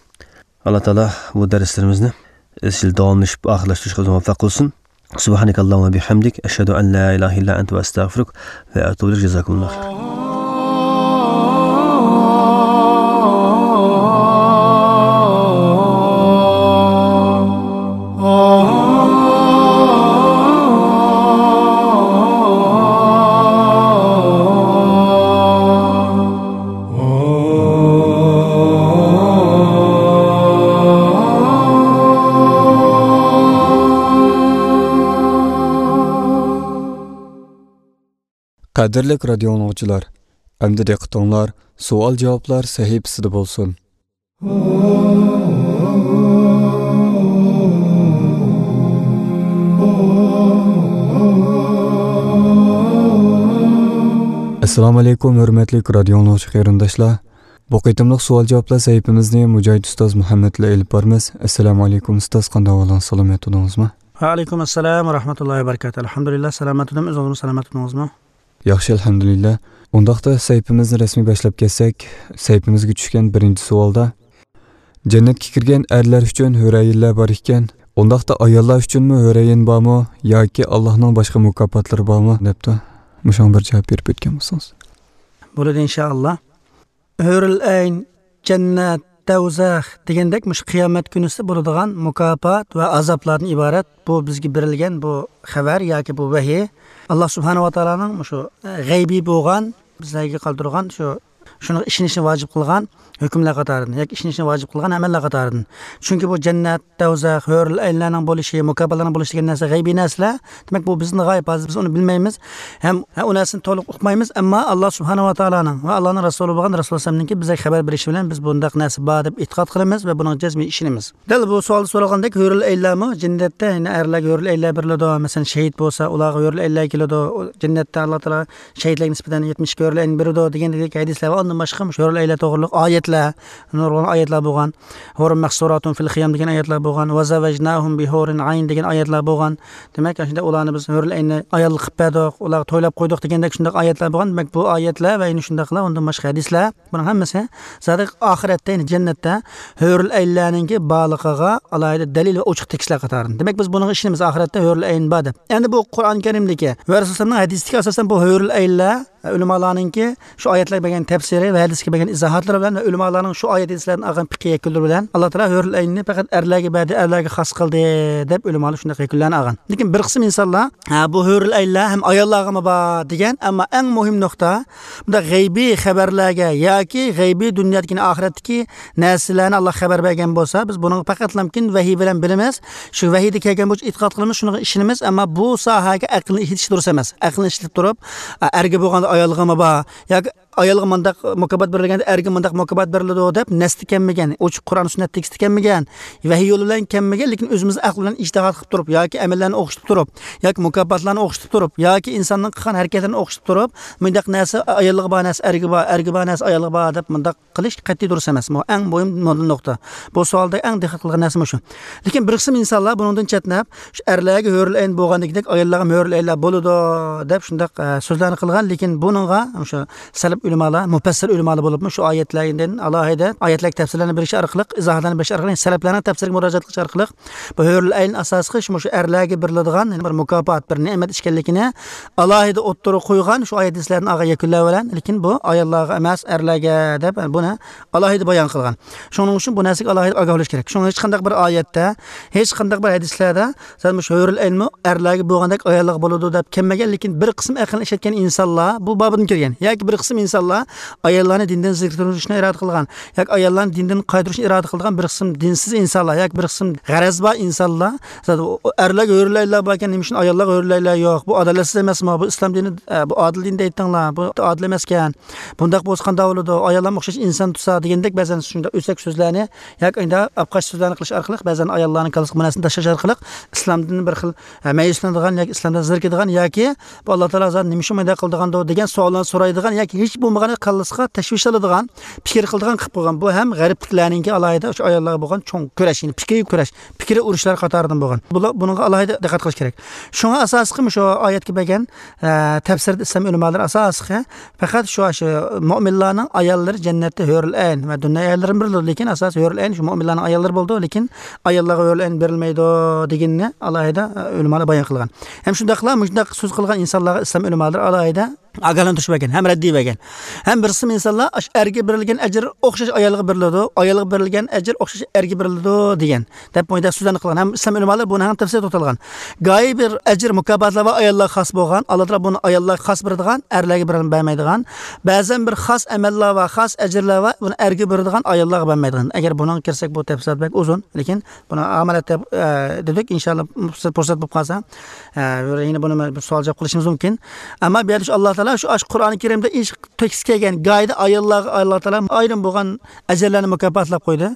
ئاللا تائالا بۇ دەرسلىرىمىزنى ئىزچىل داۋاملىشىپ ئاخىرلاشتۇرۇشقا بىزنى مۇۋەپپەق قىلسۇن. سۇبھانەكاللاھۇممە بىھەمدىك، ئەشھەدۇ ئەن لا ئىلاھە ئىللا ئەنتە ۋە ئەستەغفىرۇك ۋە ئەتۇبۇ ئىلەيك. جازاكۇمۇللاھۇ خەيرەن. قەدىرلىك رادىيو ئاڭلىغۇچىلار، ئەمدى دىققىتىڭلار سوئال-جاۋابلار سەھىپىسىدە بولسۇن. ئەسسالامۇئەلەيكۇم، ھۆرمەتلىك رادىيو ئاڭلىغۇچى قېرىنداشلار. بۇ قېتىملىق سوئال-جاۋابلار سەھىپىمىزنى مۇجاھىد ئۇستاز مۇھەممەد بىلەن ئېلىپ بارىمىز. ئەسسالامۇئەلەيكۇم ئۇستاز، قانداق ئەھۋالىڭىز، سالامەت تۇردىڭىزمۇ؟ ۋەئەلەيكۇم ئەسسالام ۋە رەھمەتۇللاھى ۋە بەرىكاتۇھ. ئەلھەمدۇلىللا، سالامەت تۇردۇم، ئۆزىڭىزمۇ سالامەت تۇردىڭىزمۇ؟ ياخشى، ئەلھەمدۇلىللا. ئۇنداقتا سەھىپىمىزنى رەسمىي باشلاپ كەتسەك، سەھىپىمىزگە چۈشكەن بىرىنچى سوئالدا، جەننەتكە كىرگەن ئەرلەر ئۈچۈن ھۆرەيىنلەر بار ئىكەن، ئۇنداقتا ئاياللار ئۈچۈنمۇ ھۆرەيىن بارمۇ ياكى ئاللاھنىڭ باشقا مۇكاپاتلىرى بارمۇ دەپتۇ. مۇشۇڭا بىر جاۋاب بېرىپ ئۆتكەن بولسىڭىز. بولىدۇ، ئىنشائاللا. ھۆرۈل ئەين، جەننەت، دەۋزەخ دېگەندەك مۇشۇ قىيامەت كۈنىسى بولىدىغان مۇكاپات ۋە ئازابلاردىن ئىبارەت بۇ بىزگە بېرىلگەن بۇ خەۋەر ياكى بۇ ۋەھىي. ئاللا سۇبھانەۋە تائالانىڭ مۇشۇ غەيبىي بولغان، بىزلەرگە قالدۇرغان شۇ، شۇنىڭغا ئىشىنىشنى ۋاجىپ قىلغان ھۆكۈملەر قاتارىدىن ياكى ئىشىنىشنى ۋاجىپ قىلغان ئەمەللەر قاتارىدىن. چۈنكى بۇ جەننەت، دەۋزەخ، ھۆرۈل ئەينلەرنىڭ بولۇشى، مۇكاپاتلارنىڭ بولۇشى دېگەن نەرسە غەيبىي نەرسىلەر. دېمەك، بۇ بىزدىن غايىب، ھازىر بىز ئۇنى بىلمەيمىز. ھەم، ھە، ئۇ نەرسىنى تولۇق ئۇقمايمىز، ئەمما ئاللا سۇبھانەۋە تائالانىڭ ۋە ئاللانىڭ رەسۇلى بولغان رەسۇلۇللا ئەلەيھىسسالامنىڭكى بىزگە خەۋەر بېرىشى بىلەن بىز بۇنداق نەرسە بار دەپ ئېتىقاد قىلىمىز ۋە بۇنىڭغا جەزمەن ئىشىنىمىز. دەل بۇ سوئالدا سورالغاندەك، ھۆرۈل ئەينلەرمۇ جەننەتتە يەنە ئەرلەرگە ھۆرۈل ئەينلەر بېرىلىدۇ؟ مەسىلەن، شېھىت بولسا، ئۇلارغا ھۆرۈل ئەينلەر كېلىدۇ. ئۇ جەننەتتە ئاللا تائالا شېھىتلەرگە نىسبەتەن يەتمىش ئىككى ھۆرۈل ئەين بېرىدۇ دېگەندەك ھەدىسلەر ۋە ئۇندىن باشقا مۇشۇ ھۆرۈل ئەينلەر توغرىلىق ئايەتلەر، نۇرغۇن ئايەتلەر بولغان. ھۇرۇن مەقسۇراتۇن فىل خىيام دېگەن ئايەتلەر بولغان. ۋە زەۋەجناھۇم بىھۇرىن ئەين دېگەن ئايەتلەر بولغان. دېمەك، شۇنداق ئۇلارنى بىز ھۆرۈل ئەيننى ئايال قىلىپ بەردۇق، ئۇلارغا تويلاپ قويدۇق دېگەندەك شۇنداق ئايەتلەر بولغان. دېمەك، بۇ ئايەتلەر ۋە يەنە شۇنداقلا ئۇندىن باشقا ھەدىسلەر، بۇنىڭ ھەممىسى زادى ئاخىرەتتە، يەنى جەننەتتە ھۆرۈل ئەينلەرنىڭكى بارلىقىغا ئالاھىدە دەلىل ۋە ئوچۇق تېكىستلەر قاتارىدىن. دېمەك، بىز بۇنىڭغا ئىشىنىمىز، ئاخىرەتتە ھۆرۈل ئەين بار دەپ. ئەمدى بۇ قۇرئان كەرىمدىكى ۋە رەسۇلۇللانىڭ ھەدىسىدىكى ئاساسەن بۇ ھۆرۈل ئەينلەر ئۆلىمالارنىڭكى شۇ ئايەتلەرگە بەرگەن تەپسىرى ۋە ھەدىسكە بەرگەن ئىزاھاتلىرى بىلەن ۋە ئۆلىمالارنىڭ شۇ ئايەت ھەدىسلەردىن ئالغان پىقھىي يەكۈنلىرى بىلەن، ئاللا تائالا ھۆرۈل ئەيننى پەقەت ئەرلەرگە بەردى، ئەرلەرگە خاس قىلدى دەپ ئۆلىمالار شۇنداق يەكۈنلەرنى ئالغان. لېكىن بىر قىسىم ئىنسانلار، ھە، بۇ ھۆرۈل ئەينلەر ھەم ئاياللارغىمۇ بار دېگەن، ئەمما ئەڭ مۇھىم نۇقتا، بۇنداق غەيبىي خەۋەرلەرگە ياكى غەيبىي دۇنيادىكى، ئاخىرەتتىكى نەرسىلەرنى ئاللا خەۋەر بەرگەن بولسا، بىز بۇنىڭغا پەقەتلەمكىن ۋەھىي بىلەن بىلىمىز. شۇ ۋەھىيدە كەلگەن بويىچە ئېتىقاد قىلىمىز، شۇنىڭغا ئىشىنىمىز. ئەمما بۇ ساھەگە ئەقىلنى ئىشلىتىش دۇرۇس ئەمەس. ئەقىلنى ئىشلىتىپ تۇرۇپ، ئە، ئەرگە بولغاندا ئايالغىمۇ بار ياكى ئايالغا مۇنداق مۇكاپات بېرىلگەندە ئەرگە مۇنداق مۇكاپات بېرىلىدۇ دەپ نەستە كەلمىگەن، ئوچۇق قۇرئان سۈننەت تېكىستى كەلمىگەن، ۋەھىي يولى بىلەن كەلمىگەن، لېكىن ئۆزىمىز ئەقىل بىلەن ئىجتىھات قىلىپ تۇرۇپ ياكى ئەمەللەرنى ئوخشىتىپ تۇرۇپ ياكى مۇكاپاتلارنى ئوخشىتىپ تۇرۇپ ياكى ئىنساننىڭ قىلغان ھەرىكەتلىرىنى ئوخشىتىپ تۇرۇپ، مۇنداق نەرسە ئايالغا بار نەرسە ئەرگە بار، ئەرگە بار نەرسە ئايالغا بار دەپ مۇنداق قىلىش قەتئىي دۇرۇس ئەمەس. بۇ ئەڭ مۇھىم نۇقتا. بۇ سوئالدا ئەڭ دىققەت قىلغان نەرسە مۇشۇ. لېكىن بىر قىسىم ئىنسانلار بۇنىڭدىن چەتنەپ، شۇ ئەرلەرگە ھۆرۈل ئەين بولغاندىكىدەك ئاياللارغا ھۆرۈل ئەينلەر بولىدۇ دەپ شۇنداق، ئە، سۆزلەرنى قىلغان. لېكىن بۇنىڭغا شۇ سەلەپ ئۆلىمالار، مۇپەسسىر ئۆلىمالار بولۇپمۇ شۇ ئايەتلەردىن ئالاھىدە ئايەتلەرگە تەپسىرلەرنى بېرىش ئارقىلىق، ئىزاھاتلارنى بېرىش ئارقىلىق، سەلەپلەرنىڭ تەپسىرىگە مۇراجىئەت قىلىش ئارقىلىق، بۇ ھۆرۈل ئەين ئاساسلىقى شۇ، مۇشۇ ئەرلەرگە بېرىلىدىغان يەنە بىر مۇكاپات، بىر نېمەت ئىكەنلىكىنى ئالاھىدە ئوتتۇرىغا قويغان شۇ ئايەت ھەدىسلەرنى ئالغان يەكۈنلەر بىلەن، لېكىن بۇ ئاياللارغا ئەمەس، ئەرلەرگە دەپ بۇنى ئالاھىدە بايان قىلغان. شۇنىڭ ئۈچۈن بۇ نەرسىگە ئالاھىدە ئاگاھ بولۇش كېرەك. شۇڭا ھېچقانداق بىر ئايەتتە، ھېچقانداق بىر ھەدىسلەردە سەن مۇشۇ ھۆرۈل ئەينمۇ ئەرلەرگە بولغاندەك ئاياللارغا بولىدۇ دەپ كەلمىگەن، لېكىن بىر قىسىم ئەقىلنى ئىشلەتكەن ئىنسانلار بۇ بابىدىن كىرگەن ياكى بىر قىسىم ئىنسانلار ئاياللارنى دىندىن زېرىكتۈرۈشنى ئىرادە قىلغان ياكى ئاياللارنى دىندىن قايتۇرۇشنى ئىرادە قىلىدىغان بىر قىسىم دىنسىز ئىنسانلار ياكى بىر قىسىم غەرەزى بار ئىنسانلار، زادى ئۇ ئەرلەرگە ھۆرۈل ئەينلەر باركەن، نېمە ئۈچۈن ئاياللارغا ھۆرۈل ئەينلەر يوق؟ بۇ ئادالەتسىز ئەمەسمۇ؟ بۇ ئىسلام دىنى، ئە، بۇ ئادىل دىن دەيتتىڭلار، بۇ ئادىل ئەمەسكەن. بۇنداق بولسا قانداق بولىدۇ؟ ئاياللارمۇ ئوخشاش ئىنسان تۇرسا دېگەندەك بەزەن شۇنداق ئۆسەك سۆزلەرنى ياكى ئۇنداق ئاپقاچ سۆزلەرنى قىلىش ئارقىلىق بەزەن ئاياللارنىڭ كاللىسىغا بۇ نەرسىنى تاشلاش ئارقىلىق ئىسلامدىن بىر خىل، ئە، مەيۈسلىنىدىغان ياكى ئىسلامدىن زېرىكىدىغان ياكى بۇ ئاللا تائالا زادى نېمە ئۈچۈن مۇنداق قىلىدىغاندۇ دېگەن سوئاللارنى سورايدىغان ياكى ھېچ بولمىغاندا كاللىسىغا تەشۋىش سالىدىغان پىكىر قىلىدىغان قىلىپ قويغان. بۇ ھەم غەربلىكلەرنىڭكى ئالاھىدە شۇ ئاياللارغا بولغان چوڭ كۈرەش، يەنى پىكرىي كۈرەش، پىكرىي ئۇرۇشلار قاتارىدىن بولغان. بۇلار، بۇنىڭغا ئالاھىدە دىققەت قىلىش كېرەك. شۇڭا ئاساسلىقى مۇشۇ ئايەتكە بەرگەن، ئە، تەپسىردە ئىسلام ئۆلىمالىرى ئاساسلىقى پەقەت شۇ، شۇ مۆمىنلارنىڭ ئاياللىرى جەننەتتە ھۆرۈل ئەين ۋە دۇنيا ئاياللىرى بېرىلىدۇ، لېكىن ئاساسىي ھۆرۈل ئەين شۇ مۆمىنلارنىڭ ئاياللىرى بولىدۇ، لېكىن ئاياللارغا ھۆرۈل ئەين بېرىلمەيدۇ دېگىنىنى ئالاھىدە، ئە، ئۆلىمالار بايان قىلغان. ھەم شۇنداقلا مۇشۇنداق سۆز قىلغان ئىنسانلارغا ئىسلام ئۆلىمالىرى ئالاھىدە ئاگاھلاندۇرۇش بەرگەن ھەم رەددىيە بەرگەن. ھەم بىر قىسىم ئىنسانلار ئاش-، ئەرگە بېرىلگەن ئەجىر ئوخشاش ئايالغا بېرىلىدۇ، ئايالغا بېرىلگەن ئەجىر ئوخشاش ئەرگە بېرىلىدۇ دېگەن دەپ مۇنداق سۆزلەرنى قىلغان. ھەم ئىسلام ئۆلىمالىرى بۇنى ھەم تەپسىلىي توختالغان. گاھى بىر ئەجىر مۇكاپاتلار ۋە ئاياللارغا خاس بولغان، ئاللا تائالا بۇنى ئاياللارغا خاس بېرىدىغان، ئەرلەرگە بېرىلمەي-، بەرمەيدىغان. بەزەن بىر خاس ئەمەللەر ۋە خاس ئەجىرلەر ۋە بۇنى ئەرگە بېرىدىغان، ئاياللارغا بەرمەيدىغان. ئەگەر بۇنىڭغا كىرسەك، بۇ تەپسىلات بەك ئۇزۇن، لېكىن بۇنى ئامانەت دەپ، ئە، دېدۇك. ئىنشاللا، پۇرسەت، پۇرسەت بولۇپ قالسا، ئە، يەنە بۇنى بىر سوئال جاۋاب قىلىشىمىز مۇمكىن. ئەمما بۇ يەردە شۇ ئاللا تائالا شۇ، ئاشۇ قۇرئانى كەرىمدە ئىش تېكىست كەلگەن گاھىدا ئاياللارغا ئاللا تائالا ئايرىم بولغان ئەجىرلەرنى مۇكاپاتلاپ قويدى.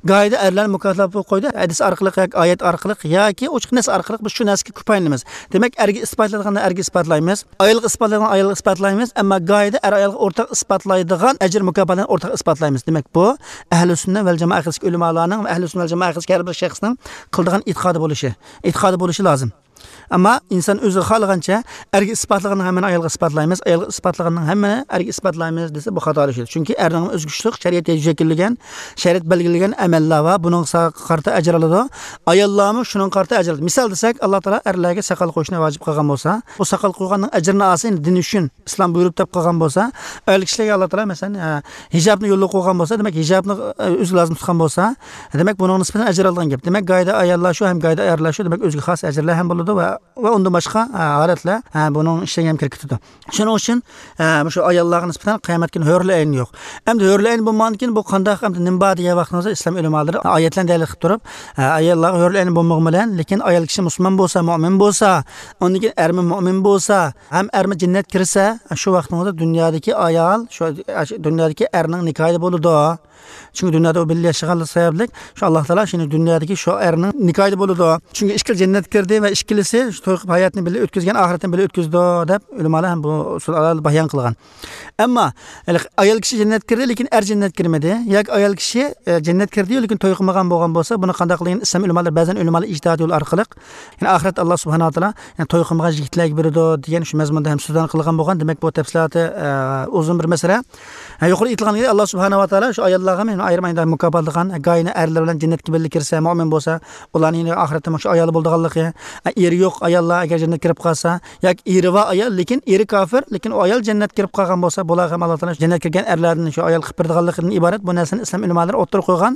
گاھىدا ئەرلەرنى مۇكاپاتلاپ قويدى. ھەدىس ئارقىلىق ياكى ئايەت ئارقىلىق ياكى ئوچۇق نەس ئارقىلىق بىز شۇ نەرسىگە كۆپ پايدىلىنىمىز. دېمەك، ئەرگە ئىسپاتلايدىغاننى ئەرگە ئىسپاتلايمىز. ئايالغا ئىسپاتلايدىغاننى ئايالغا ئىسپاتلايمىز. ئەمما گاھىدا ئەر ئايالغا ئورتاق ئىسپاتلايدىغان ئەجىر مۇكاپاتلارنى ئورتاق ئىسپاتلايمىز. دېمەك، بۇ ئەھلى سۈننە ۋەل جامائە ئەقىدىسىدىكى ئۆلىمالارنىڭ ۋە ئەھلى سۈننە ۋەل جامائە ئەقىدىسىدىكى ھەر بىر شەخسنىڭ قىلىدىغان ئېتىقادى بولۇشى، ئېتىقادى بولۇشى لازىم. ئەمما ئىنسان ئۆزى خالىغانچە ئەرگە ئىسپاتلىغاننىڭ ھەممىنى ئايالغا ئىسپاتلايمىز، ئايالغا ئىسپاتلىغاننىڭ ھەممىنى ئەرگە ئىسپاتلايمىز دېسە، بۇ خاتالىشىدۇ. چۈنكى ئەرنىڭ ئۆزى كۈچلۈك، شەرىئەت شەكىللىگەن، شەرىئەت بەلگىلىگەن ئەمەللەر بار، بۇنىڭغا قارىتا ئەجىر ئالىدۇ. ئاياللارمۇ شۇنىڭغا قارىتا ئەجىر ئالىدۇ. مىسال دېسەك، ئاللا تائالا ئەرلەرگە ساقال قويۇشنى ۋاجىپ قىلغان بولسا، بۇ ساقال قويغاننىڭ ئەجرىنى ئالسا، يەنى دىن ئۈچۈن، ئىسلام بۇيرۇپ دەپ قىلغان بولسا، ئەر كىشىلەرگە ئاللا تائالا، مەسىلەن، ھە، ھىجابنى يولغا قويغان بولسا، دېمەك، ھىجابنى، ئە، ئۆزى لازىم تۇتقان بولسا، دېمەك، بۇنىڭغا نىسبەتەن ئەجىر ئالىدىغان گەپ. دېمەك، گايدا ئاياللار شۇ ھەم گايدا ئەرلەر شۇ، دېمەك، ئۆزىگە خاس ئەجىرلەر ھەم بولىدۇ ۋە، ۋە ئۇندىن باشقا، ئە، ھالەتلەر، ئە، بۇنىڭ ئىچىگە ھەم كىرىپ كېتىدۇ. شۇنىڭ ئۈچۈن، ئە، مۇشۇ ئاياللارغا نىسبەتەن قىيامەت كۈنى ھۆرلى ئەين يوق. ئەمدى ھۆرلى ئەين بولمىغاندىكىن بۇ قانداق، ئەمدى نېمە بار دېگەن ۋاقتىڭىزدا ئىسلام ئۆلىمالىرى ئايەتلەرنى دەلىل قىلىپ تۇرۇپ، ئە، ئاياللارغا ھۆرلى ئەين بولمىغان بىلەن، لېكىن ئايال كىشى مۇسۇلمان بولسا، مۇئمىن بولسا، ئاندىن كېيىن ئەرمۇ مۇئمىن بولسا، ھەم ئەرمۇ جەننەتكە كىرسە، شۇ ۋاقتىڭىزدا دۇنيادىكى ئايال شۇ، شۇ دۇنيادىكى ئەرنىڭ نىكاھىدا بولىدۇ. چۈنكى دۇنيادا ئۇ بىللە ياشىغانلىقى سەۋەبلىك، شۇ ئاللا تائالا شۇنى دۇنيادىكى شۇ ئەرنىڭ نىكاھىدا بولىدۇ. چۈنكى ئىككىلا جەننەتكە كىردى ۋە ئىككىلىسى شۇ توي قىلىپ ھاياتنى بىللە ئۆتكۈزگەن، ئاخىرەتنى بىللە ئۆتكۈزىدۇ، دەپ ئۆلىمالار ھەم بۇ ئۇسۇل ئارقىلىق بايان قىلغان. ئەمما، ھېلىقى ئايال كىشى جەننەتكە كىردى، لېكىن ئەر جەننەتكە كىرمىدى. ياكى ئايال كىشى، ئە، جەننەتكە كىردى، لېكىن توي قىلمىغان بولغان بولسا، بۇنى قانداق قىلىدىكىن؟ ئىسلام ئۆلىمالىرى، بەزەن ئۆلىمالار ئىجتىھاد يولى ئارقىلىق، يەنى ئاخىرەتتە ئاللا سۇبھانەھۇ ۋە تائالا، يەنى توي قىلمىغان يىگىتلەرگە بېرىدۇ دېگەن شۇ مەزمۇندا ھەم سۆزلەرنى قىلغان بولغان. دېمەك، بۇ تەپسىلاتى، ئە، ئۇزۇن بىر مەسىلە. ھە، يۇقىرىدا ئېيتىلغان ئاللا سۇبھانەھۇ ۋە تائالا شۇ ئاياللارغا مەن ئايرىم ئايرىم مۇكاپاتلىغان، گايىنى ئەرلەر بىلەن جەننەتكە بىللە كىرسە، مۇئمىن بولسا، ئۇلارنىڭ يەنە ئاخىرەتتە شۇ ئايالى بولىدىغانلىقى، ئە، ئېرى يوق ئاياللار ئەگەر جەننەتكە كىرىپ قالسا، ياكى ئېرى بار ئايال، لېكىن ئېرى كافىر، لېكىن ئۇ ئايال جەننەتكە كىرىپ قالغان بولسا، بۇلارغا ھەم ئاللا تائالا جەننەتكە كىرگەن ئەرلەردىن شۇ ئايال قىلىپ بېرىدىغانلىقىدىن ئىبارەت بۇ نەرسىنى ئىسلام ئۆلىمالىرى ئوتتۇرىغا قويغان.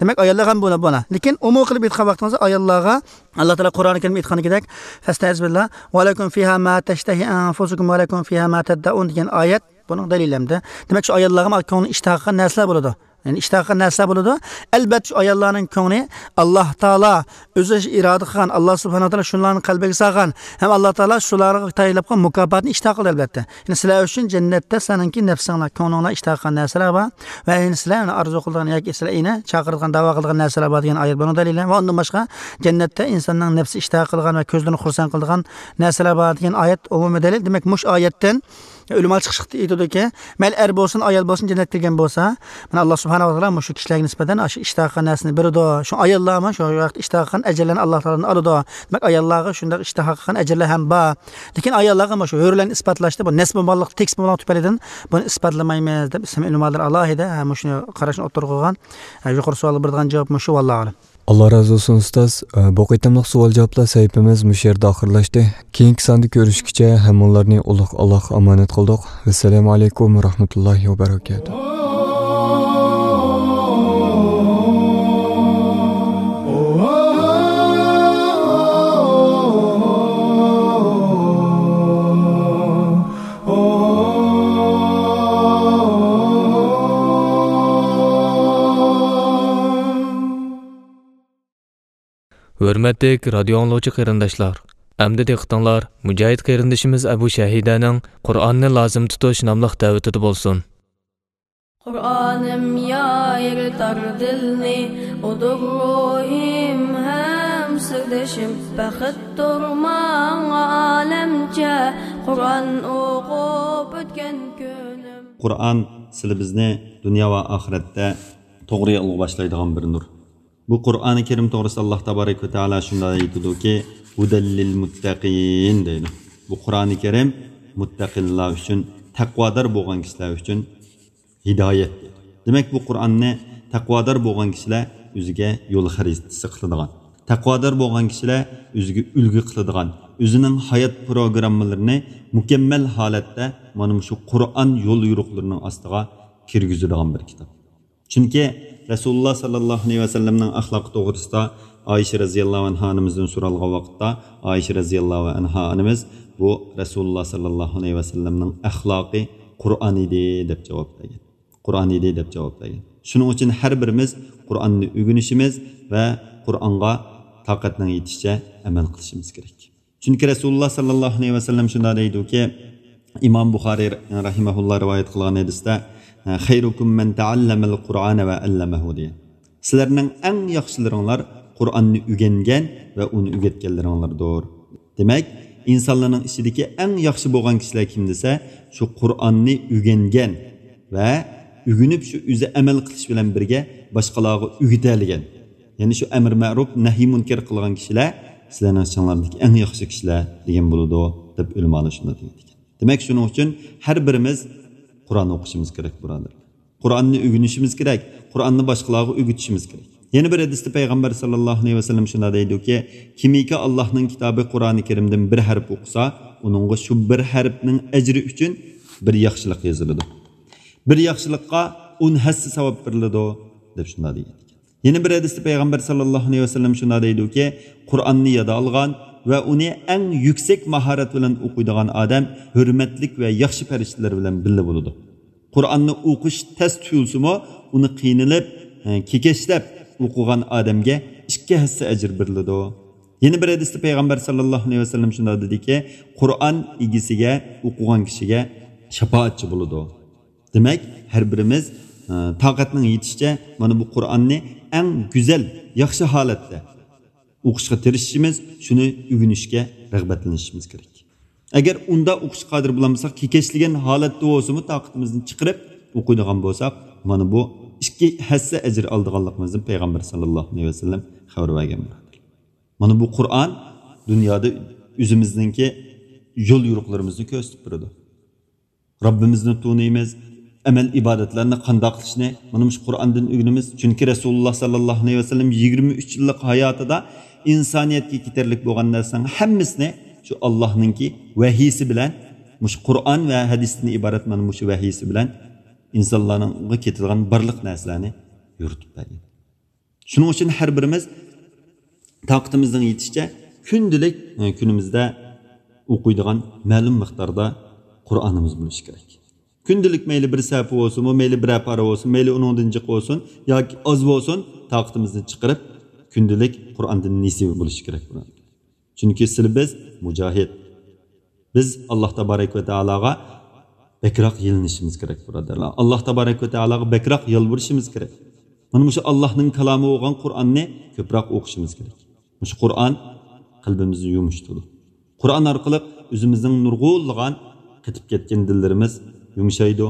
دېمەك، ئاياللارغا ھەم بۇنى، بۇنى. لېكىن ئومۇم قىلىپ ئېيتقان ۋاقتىڭىزدا ئاياللارغا ئاللا تائالا قۇرئانى كەرىمدە ئېيتقاندىكىدەك، فەستەئىز بىللا، ۋەلەكۇم فىھا ما تەشتەھى ئەنفۇسۇكۇم ۋەلەكۇم فىھا ما تەددەئۇن دېگەن ئايەت بۇنىڭ دەلىلى ھەمدە. دېمەك، شۇ ئاياللارغا كۆڭلى ئىشتىھا قىلغان نەرسىلەر بولىدۇ. يەنى ئىشتىھا قىلغان نەرسىلەر بولىدۇ. ئەلبەتتە، شۇ ئاياللارنىڭ كۆڭلى ئاللا تائالا ئۆزى ئىرادە قىلغان، ئاللا سۇبھانەھۇ ۋە تائالا شۇلارنى قەلبىگە سالغان ھەم ئاللا تائالا شۇلارغا تەييارلاپ قويغان مۇكاپاتنى ئىشتىھا قىلدى، ئەلبەتتە. يەنى سىلەر ئۈچۈن جەننەتتە سىلەرنىڭكى نەپسىڭلار، كۆڭلۈڭلار ئىشتىھا قىلغان نەرسىلەر بار ۋە يەنە سىلەر ئۇنى ئارزۇ قىلىدىغان ياكى سىلەر ئۇنى چاقىرىدىغان، داۋا قىلىدىغان نەرسىلەر بار دېگەن ئايەت بۇنىڭ دەلىلى. ۋە ئۇندىن باشقا، جەننەتتە ئىنساننىڭ نەپسى ئىشتىھا قىلغان ۋە كۆزلىرىنى خۇرسەن قىلىدىغان نەرسىلەر بار دېگەن ئايەت ئومۇمىي دەلىل. دېمەك، مۇشۇ ئايەتتىن ئۆلىمالار چىقىشلىقتا ئېيتىدۇكى، مەيلى ئەر بولسۇن، ئايال بولسۇن، جەننەتكە كىرگەن بولسا، مانا، ئاللا سۇبھانەھۇ ۋە تائالا مۇشۇ كىشىلەرگە نىسبەتەن ئاشۇ ئىشتىھا قىلغان نەرسىنى بېرىدۇ. شۇ ئاياللارمۇ شۇ ۋاقىتتا ئىشتىھا قىلغان ئەجىرلەرنى ئاللا تائالادىن ئالىدۇ. دېمەك، ئاياللارغا شۇنداق ئىشتىھا قىلغان ئەجىرلەر ھەم بار. لېكىن ئاياللارغا مۇشۇ ھۆرلەرنى ئىسپاتلاشتا بۇ نەس بولمىغانلىق، تېكىست بولمىغانلىق تۈپەيلىدىن بۇنى ئىسپاتلىمايمىز دەپ ئىسلام ئۆلىمالىرى ئالاھىدە، ھە، مۇشۇنى قاراشنى ئوتتۇرىغا قويغان. ھە، يۇقىرى سوئالغا بېرىدىغان جاۋاب مۇشۇ، ۋاللاھۇ ئەلەم. ئاللا رازى بولسۇن، ئۇستاز. بۇ قېتىملىق سوئال-جاۋابلار سەھىپىمىز مۇشۇ يەردە ئاخىرلاشتى. كېيىنكى ساندا كۆرۈشكىچە ھەممىڭلارنى ئۇلۇغ ئاللاغا ئامانەت قىلدۇق. ۋەسسالامۇ ئەلەيكۇم ۋە رەھمەتۇللاھى ۋە بەرەكاتۇھ. ھۆرمەتلىك رادىيو ئاڭلىغۇچى قېرىنداشلار، ئەمدى دىققىتىڭلار مۇجاھىد قېرىندىشىمىز ئەبۇ شەھىدەنىڭ «قۇرئاننى لازىم تۇتۇش» ناملىق دەۋىتىدە بولسۇن. قۇرئانىم يايرىتار دىلنى، ئۇدۇر روھىم ھەم سىردىشىم، بەختتۇر ماڭا ئالەمچە، قۇرئان ئوقۇپ ئۆتكەن كۈنۈم. قۇرئان سىلى بىزنى دۇنيا ۋە ئاخىرەتتە توغرا يولغا باشلايدىغان بىر نۇر. بۇ قۇرئانى كەرىم توغرىسىدا ئاللا تابارەك ۋە تائالا شۇنداق ئېيتىدۇكى، «ھۇدەل لىل مۇتتەقىن» دەيدۇ. بۇ قۇرئانى كەرىم مۇتتەقىنلار ئۈچۈن، تەقۋادار بولغان كىشىلەر ئۈچۈن ھىدايەت دەيدۇ. دېمەك، بۇ قۇرئاننى تەقۋادار بولغان كىشىلەر ئۆزىگە يول خەرىتىسى قىلىدىغان، تەقۋادار بولغان كىشىلەر ئۆزىگە ئۈلگە قىلىدىغان، ئۆزىنىڭ ھايات پروگراممىلىرىنى مۇكەممەل ھالەتتە مانا مۇشۇ قۇرئان يول يورۇقلىرىنىڭ ئاستىغا كىرگۈزىدىغان بىر كىتاب. چۈنكى رەسۇلۇللا ساللاللاھۇ ئەلەيھى ۋەسەللەمنىڭ ئەخلاقى توغرىسىدا ئائىشە رەزىياللاھۇ ئەنھا ئانىمىزدىن سورالغان ۋاقىتتا، ئائىشە رەزىياللاھۇ ئەنھا ئانىمىز، «بۇ رەسۇلۇللا ساللاللاھۇ ئەلەيھى ۋەسەللەمنىڭ ئەخلاقى قۇرئان ئىدى» دەپ جاۋاب بەرگەن. «قۇرئان ئىدى» دەپ جاۋاب بەرگەن. شۇنىڭ ئۈچۈن ھەر بىرىمىز قۇرئاننى ئۆگىنىشىمىز ۋە قۇرئانغا تاقەتنىڭ يېتىشىچە ئەمەل قىلىشىمىز كېرەك. چۈنكى رەسۇلۇللا ساللاللاھۇ ئەلەيھى ۋەسەللەم شۇنداق دەيدۇكى، ئىمام بۇخارىي رەھىمەھۇللا رىۋايەت قىلغان ھەدىستە، «خەيرۇكۇم مەن تەئەللەمەل قۇرئانە ۋە ئەللەمەھۇ» دېگەن. «سىلەرنىڭ ئەڭ ياخشىلىرىڭلار قۇرئاننى ئۆگەنگەن ۋە ئۇنى ئۆگەتكەنلىرىڭلاردۇر.» دېمەك، ئىنسانلارنىڭ ئىچىدىكى ئەڭ ياخشى بولغان كىشىلەر كىم دېسە، شۇ قۇرئاننى ئۆگەنگەن ۋە ئۆگىنىپ شۇ ئۆزى ئەمەل قىلىش بىلەن بىرگە باشقىلارغا ئۆگىتەلىگەن. يەنى شۇ ئەمر مەرۇپ، نەھي مۇنكەر قىلغان كىشىلەر سىلەرنىڭ ئىچىڭلاردىكى ئەڭ ياخشى كىشىلەر دېگەن بولىدۇ، دەپ ئۆلىمالار شۇنداق دېگەن ئىكەن. دېمەك، شۇنىڭ ئۈچۈن ھەر بىرىمىز قۇرئان ئوقۇشىمىز كېرەك، بۇرادەرلەر. قۇرئاننى ئۆگىنىشىمىز كېرەك، قۇرئاننى باشقىلارغا ئۆگىتىشىمىز كېرەك. يەنە بىر ھەدىستە پەيغەمبەر ساللاللاھۇ ئەلەيھى ۋەسەللەم شۇنداق دەيدۇكى، كىمكى ئاللاھنىڭ كىتابى قۇرئانى كەرىمدىن بىر ھەرپ ئوقۇسا، ئۇنىڭغا شۇ بىر ھەرپنىڭ ئەجرى ئۈچۈن بىر ياخشىلىق يېزىلىدۇ. بىر ياخشىلىققا ئون ھەسسە ساۋاب بېرىلىدۇ، دەپ شۇنداق دېگەن. يەنە بىر ھەدىستە پەيغەمبەر ساللاللاھۇ ئەلەيھى ۋەسەللەم شۇنداق دەيدۇكى، قۇرئاننى يادا ئالغان ۋە ئۇنى ئەڭ يۈكسەك ماھارەت بىلەن ئوقۇيدىغان ئادەم ھۆرمەتلىك ۋە ياخشى پەرىشتىلەر بىلەن بىللە بولىدۇ. قۇرئاننى ئوقۇش تەس تۇيۇلسىمۇ، ئۇنى قىينىلىپ، ئە، كېكەچلەپ ئوقۇغان ئادەمگە ئىككى ھەسسە ئەجىر بېرىلىدۇ. يەنە بىر ھەدىستە پەيغەمبەر ساللاللاھۇ ئەلەيھى ۋەسەللەم شۇنداق دېدىكى، قۇرئان ئىگىسىگە، ئوقۇغان كىشىگە شاپائەتچى بولىدۇ. دېمەك، ھەر بىرىمىز، ئە، تاقەتنىڭ يېتىشىچە مانا بۇ قۇرئاننى ئەڭ گۈزەل، ياخشى ھالەتتە ئوقۇشقا تىرىشىشىمىز، شۇنى ئۆگىنىشكە رىغبەتلىنىشىمىز كېرەك. ئەگەر ئۇنداق ئوقۇشقا قادىر بولالمىساق، كېكەچلىگەن ھالەتتە بولسىمۇ تاقىتىمىزنى چىقىرىپ ئوقۇيدىغان بولساق، مانا بۇ ئىككى ھەسسە ئەجىر ئالىدىغانلىقىمىزدىن پەيغەمبەر ساللاللاھۇ ئەلەيھى ۋەسەللەم خەۋەر بەرگەن، بۇرادەرلەر. مانا بۇ قۇرئان دۇنيادا ئۆزىمىزنىڭكى يول يورۇقلىرىمىزنى كۆرسىتىپ بېرىدۇ. رەببىمىزنى تونۇيمىز، ئەمەل ئىبادەتلەرنى قانداق قىلىشنى مانا مۇشۇ قۇرئاندىن ئۆگىنىمىز. چۈنكى رەسۇلۇللا ساللاللاھۇ ئەلەيھى ۋەسەللەم يىگىرمە ئۈچ يىللىق ھاياتىدا ئىنسانىيەتكە كېتەرلىك بولغان نەرسىنىڭ ھەممىسىنى شۇ ئاللاھنىڭكى ۋەھىيسى بىلەن، مۇشۇ قۇرئان ۋە ھەدىستىن ئىبارەت مانا مۇشۇ ۋەھىيسى بىلەن ئىنسانلارغا كېتىدىغان بارلىق نەرسىلەرنى يورۇتۇپ بەرگەن. شۇنىڭ ئۈچۈن ھەر بىرىمىز تاقىتىمىزنىڭ يېتىشىچە كۈندىلىك، ئە، كۈنىمىزدە ئوقۇيدىغان مەلۇم مىقداردا قۇرئانىمىز بولۇشى كېرەك. كۈندىلىك مەيلى بىر سەھىپە بولسۇنمۇ، مەيلى بىرەر پارا بولسۇن، مەيلى ئۇنىڭدىن جىق بولسۇن ياكى ئاز بولسۇن، تاقىتىمىزنى چىقىرىپ كۈندىلىك قۇرئاندىن نېسىۋە بولۇشى كېرەك، بۇرادەرلەر. چۈنكى سىلى بىز مۇجاھىد. بىز ئاللاھ تابارەك ۋە تائالاغا بەكرەك يېلىنىشىمىز كېرەك، بۇرادەرلەر. ئاللاھ تابارەك ۋە تائالاغا بەكرەك يالۋۇرۇشىمىز كېرەك. مانا مۇشۇ ئاللاھنىڭ كالامى بولغان قۇرئاننى كۆپرەك ئوقۇشىمىز كېرەك. مۇشۇ قۇرئان قەلبىمىزنى يۇمشىتىدۇ. قۇرئان ئارقىلىق ئۆزىمىزنىڭ نۇرغۇنلىغان قېتىپ كەتكەن دىللىرىمىز يۇمشايدۇ.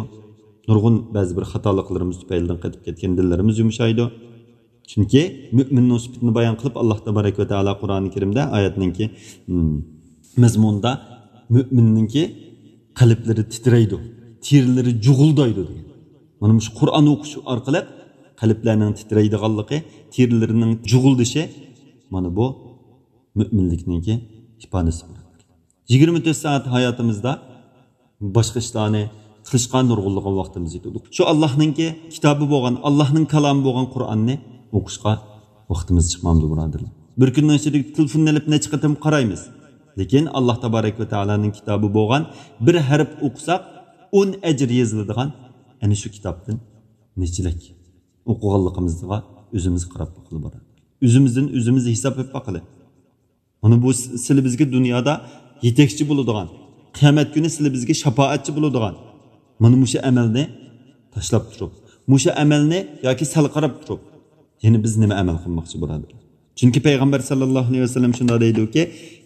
نۇرغۇن بەزى بىر خاتالىقلىرىمىز تۈپەيلىدىن قېتىپ كەتكەن دىللىرىمىز يۇمشايدۇ. چۈنكى مۆمىننىڭ سۈپىتىنى بايان قىلىپ، ئاللاھ تابارەك ۋە تائالا قۇرئانى كەرىمدە ئايەتنىڭكى، م، مەزمۇنىدا مۆمىننىڭكى قەلبلىرى تىترەيدۇ، تېرىلىرى جۇغۇلدايدۇ دېگەن. مانا مۇشۇ قۇرئان ئوقۇش ئارقىلىق قەلبلەرنىڭ تىترەيدىغانلىقى، تېرىلىرىنىڭ جۇغۇلدىشى، مانا بۇ مۆمىنلىكنىڭكى ئىپادىسى. يىگىرمە تۆت سائەت ھاياتىمىزدا باشقا ئىشلارنى قىلىشقا نۇرغۇنلىغان ۋاقتىمىز يېتىدۇ. شۇ ئاللاھنىڭكى كىتابى بولغان، ئاللاھنىڭ كالامى بولغان قۇرئاننى ئوقۇشقا ۋاقتىمىز چىقمامدۇ، بۇرادەرلەر؟ بىر كۈننىڭ ئىچىدە تېلېفوننى ئېلىپ نەچچە قېتىم قارايمىز. لېكىن ئاللاھ تابارەك ۋە تائالانىڭ كىتابى بولغان بىر ھەرپ ئوقۇساق، ئون ئەجىر يېزىلىدىغان ئەنە شۇ كىتابتىن نەچچىلەك ئوقۇغانلىقىمىزغا ئۆزىمىز قاراپ باقىلى، بۇرادەرلەر. ئۆزىمىزدىن ئۆزىمىز ھېساب بېرىپ باقىلى. مانا بۇ س-، سىلى بىزگە دۇنيادا يېتەكچى بولىدىغان، قىيامەت كۈنى سىلى بىزگە شاپائەتچى بولىدىغان مانا مۇشۇ ئەمەلنى تاشلاپ تۇرۇپ، مۇشۇ ئەمەلنى ياكى سەل قاراپ تۇرۇپ، يەنە بىز نېمە ئەمەل قىلماقچى، بۇرادەرلەر؟ چۈنكى پەيغەمبەر ساللاللاھۇ ئەلەيھى ۋەسەللەم شۇنداق دەيدۇكى،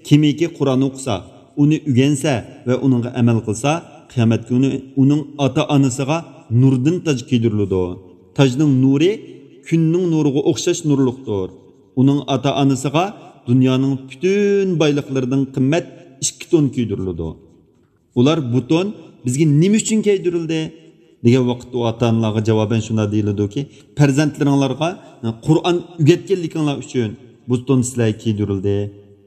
كىمكى قۇرئان ئوقۇسا، ئۇنى ئۆگەنسە ۋە ئۇنىڭغا ئەمەل قىلسا، قىيامەت كۈنى ئۇنىڭ ئاتا-ئانىسىغا نۇردىن تاج كىيدۈرۈلىدۇ. تاجنىڭ نۇرى كۈننىڭ نۇرىغا ئوخشاش نۇرلۇقتۇر. ئۇنىڭ ئاتا-ئانىسىغا دۇنيانىڭ پۈتۈن بايلىقلىرىدىن قىممەت ئىككى تون كىيدۈرۈلىدۇ. ئۇلار، بۇ تون بىزگە نېمە ئۈچۈن كىيدۈرۈلدى؟ دېگەن ۋاقىتتا ئۇ ئاتا-ئانىلارغا جاۋابەن شۇنداق دېيىلىدۇكى، پەرزەنتلىرىڭلارغا قۇرئان ئۆگەتكەنلىكىڭلار ئۈچۈن بۇ تون سىلەرگە كىيدۈرۈلدى،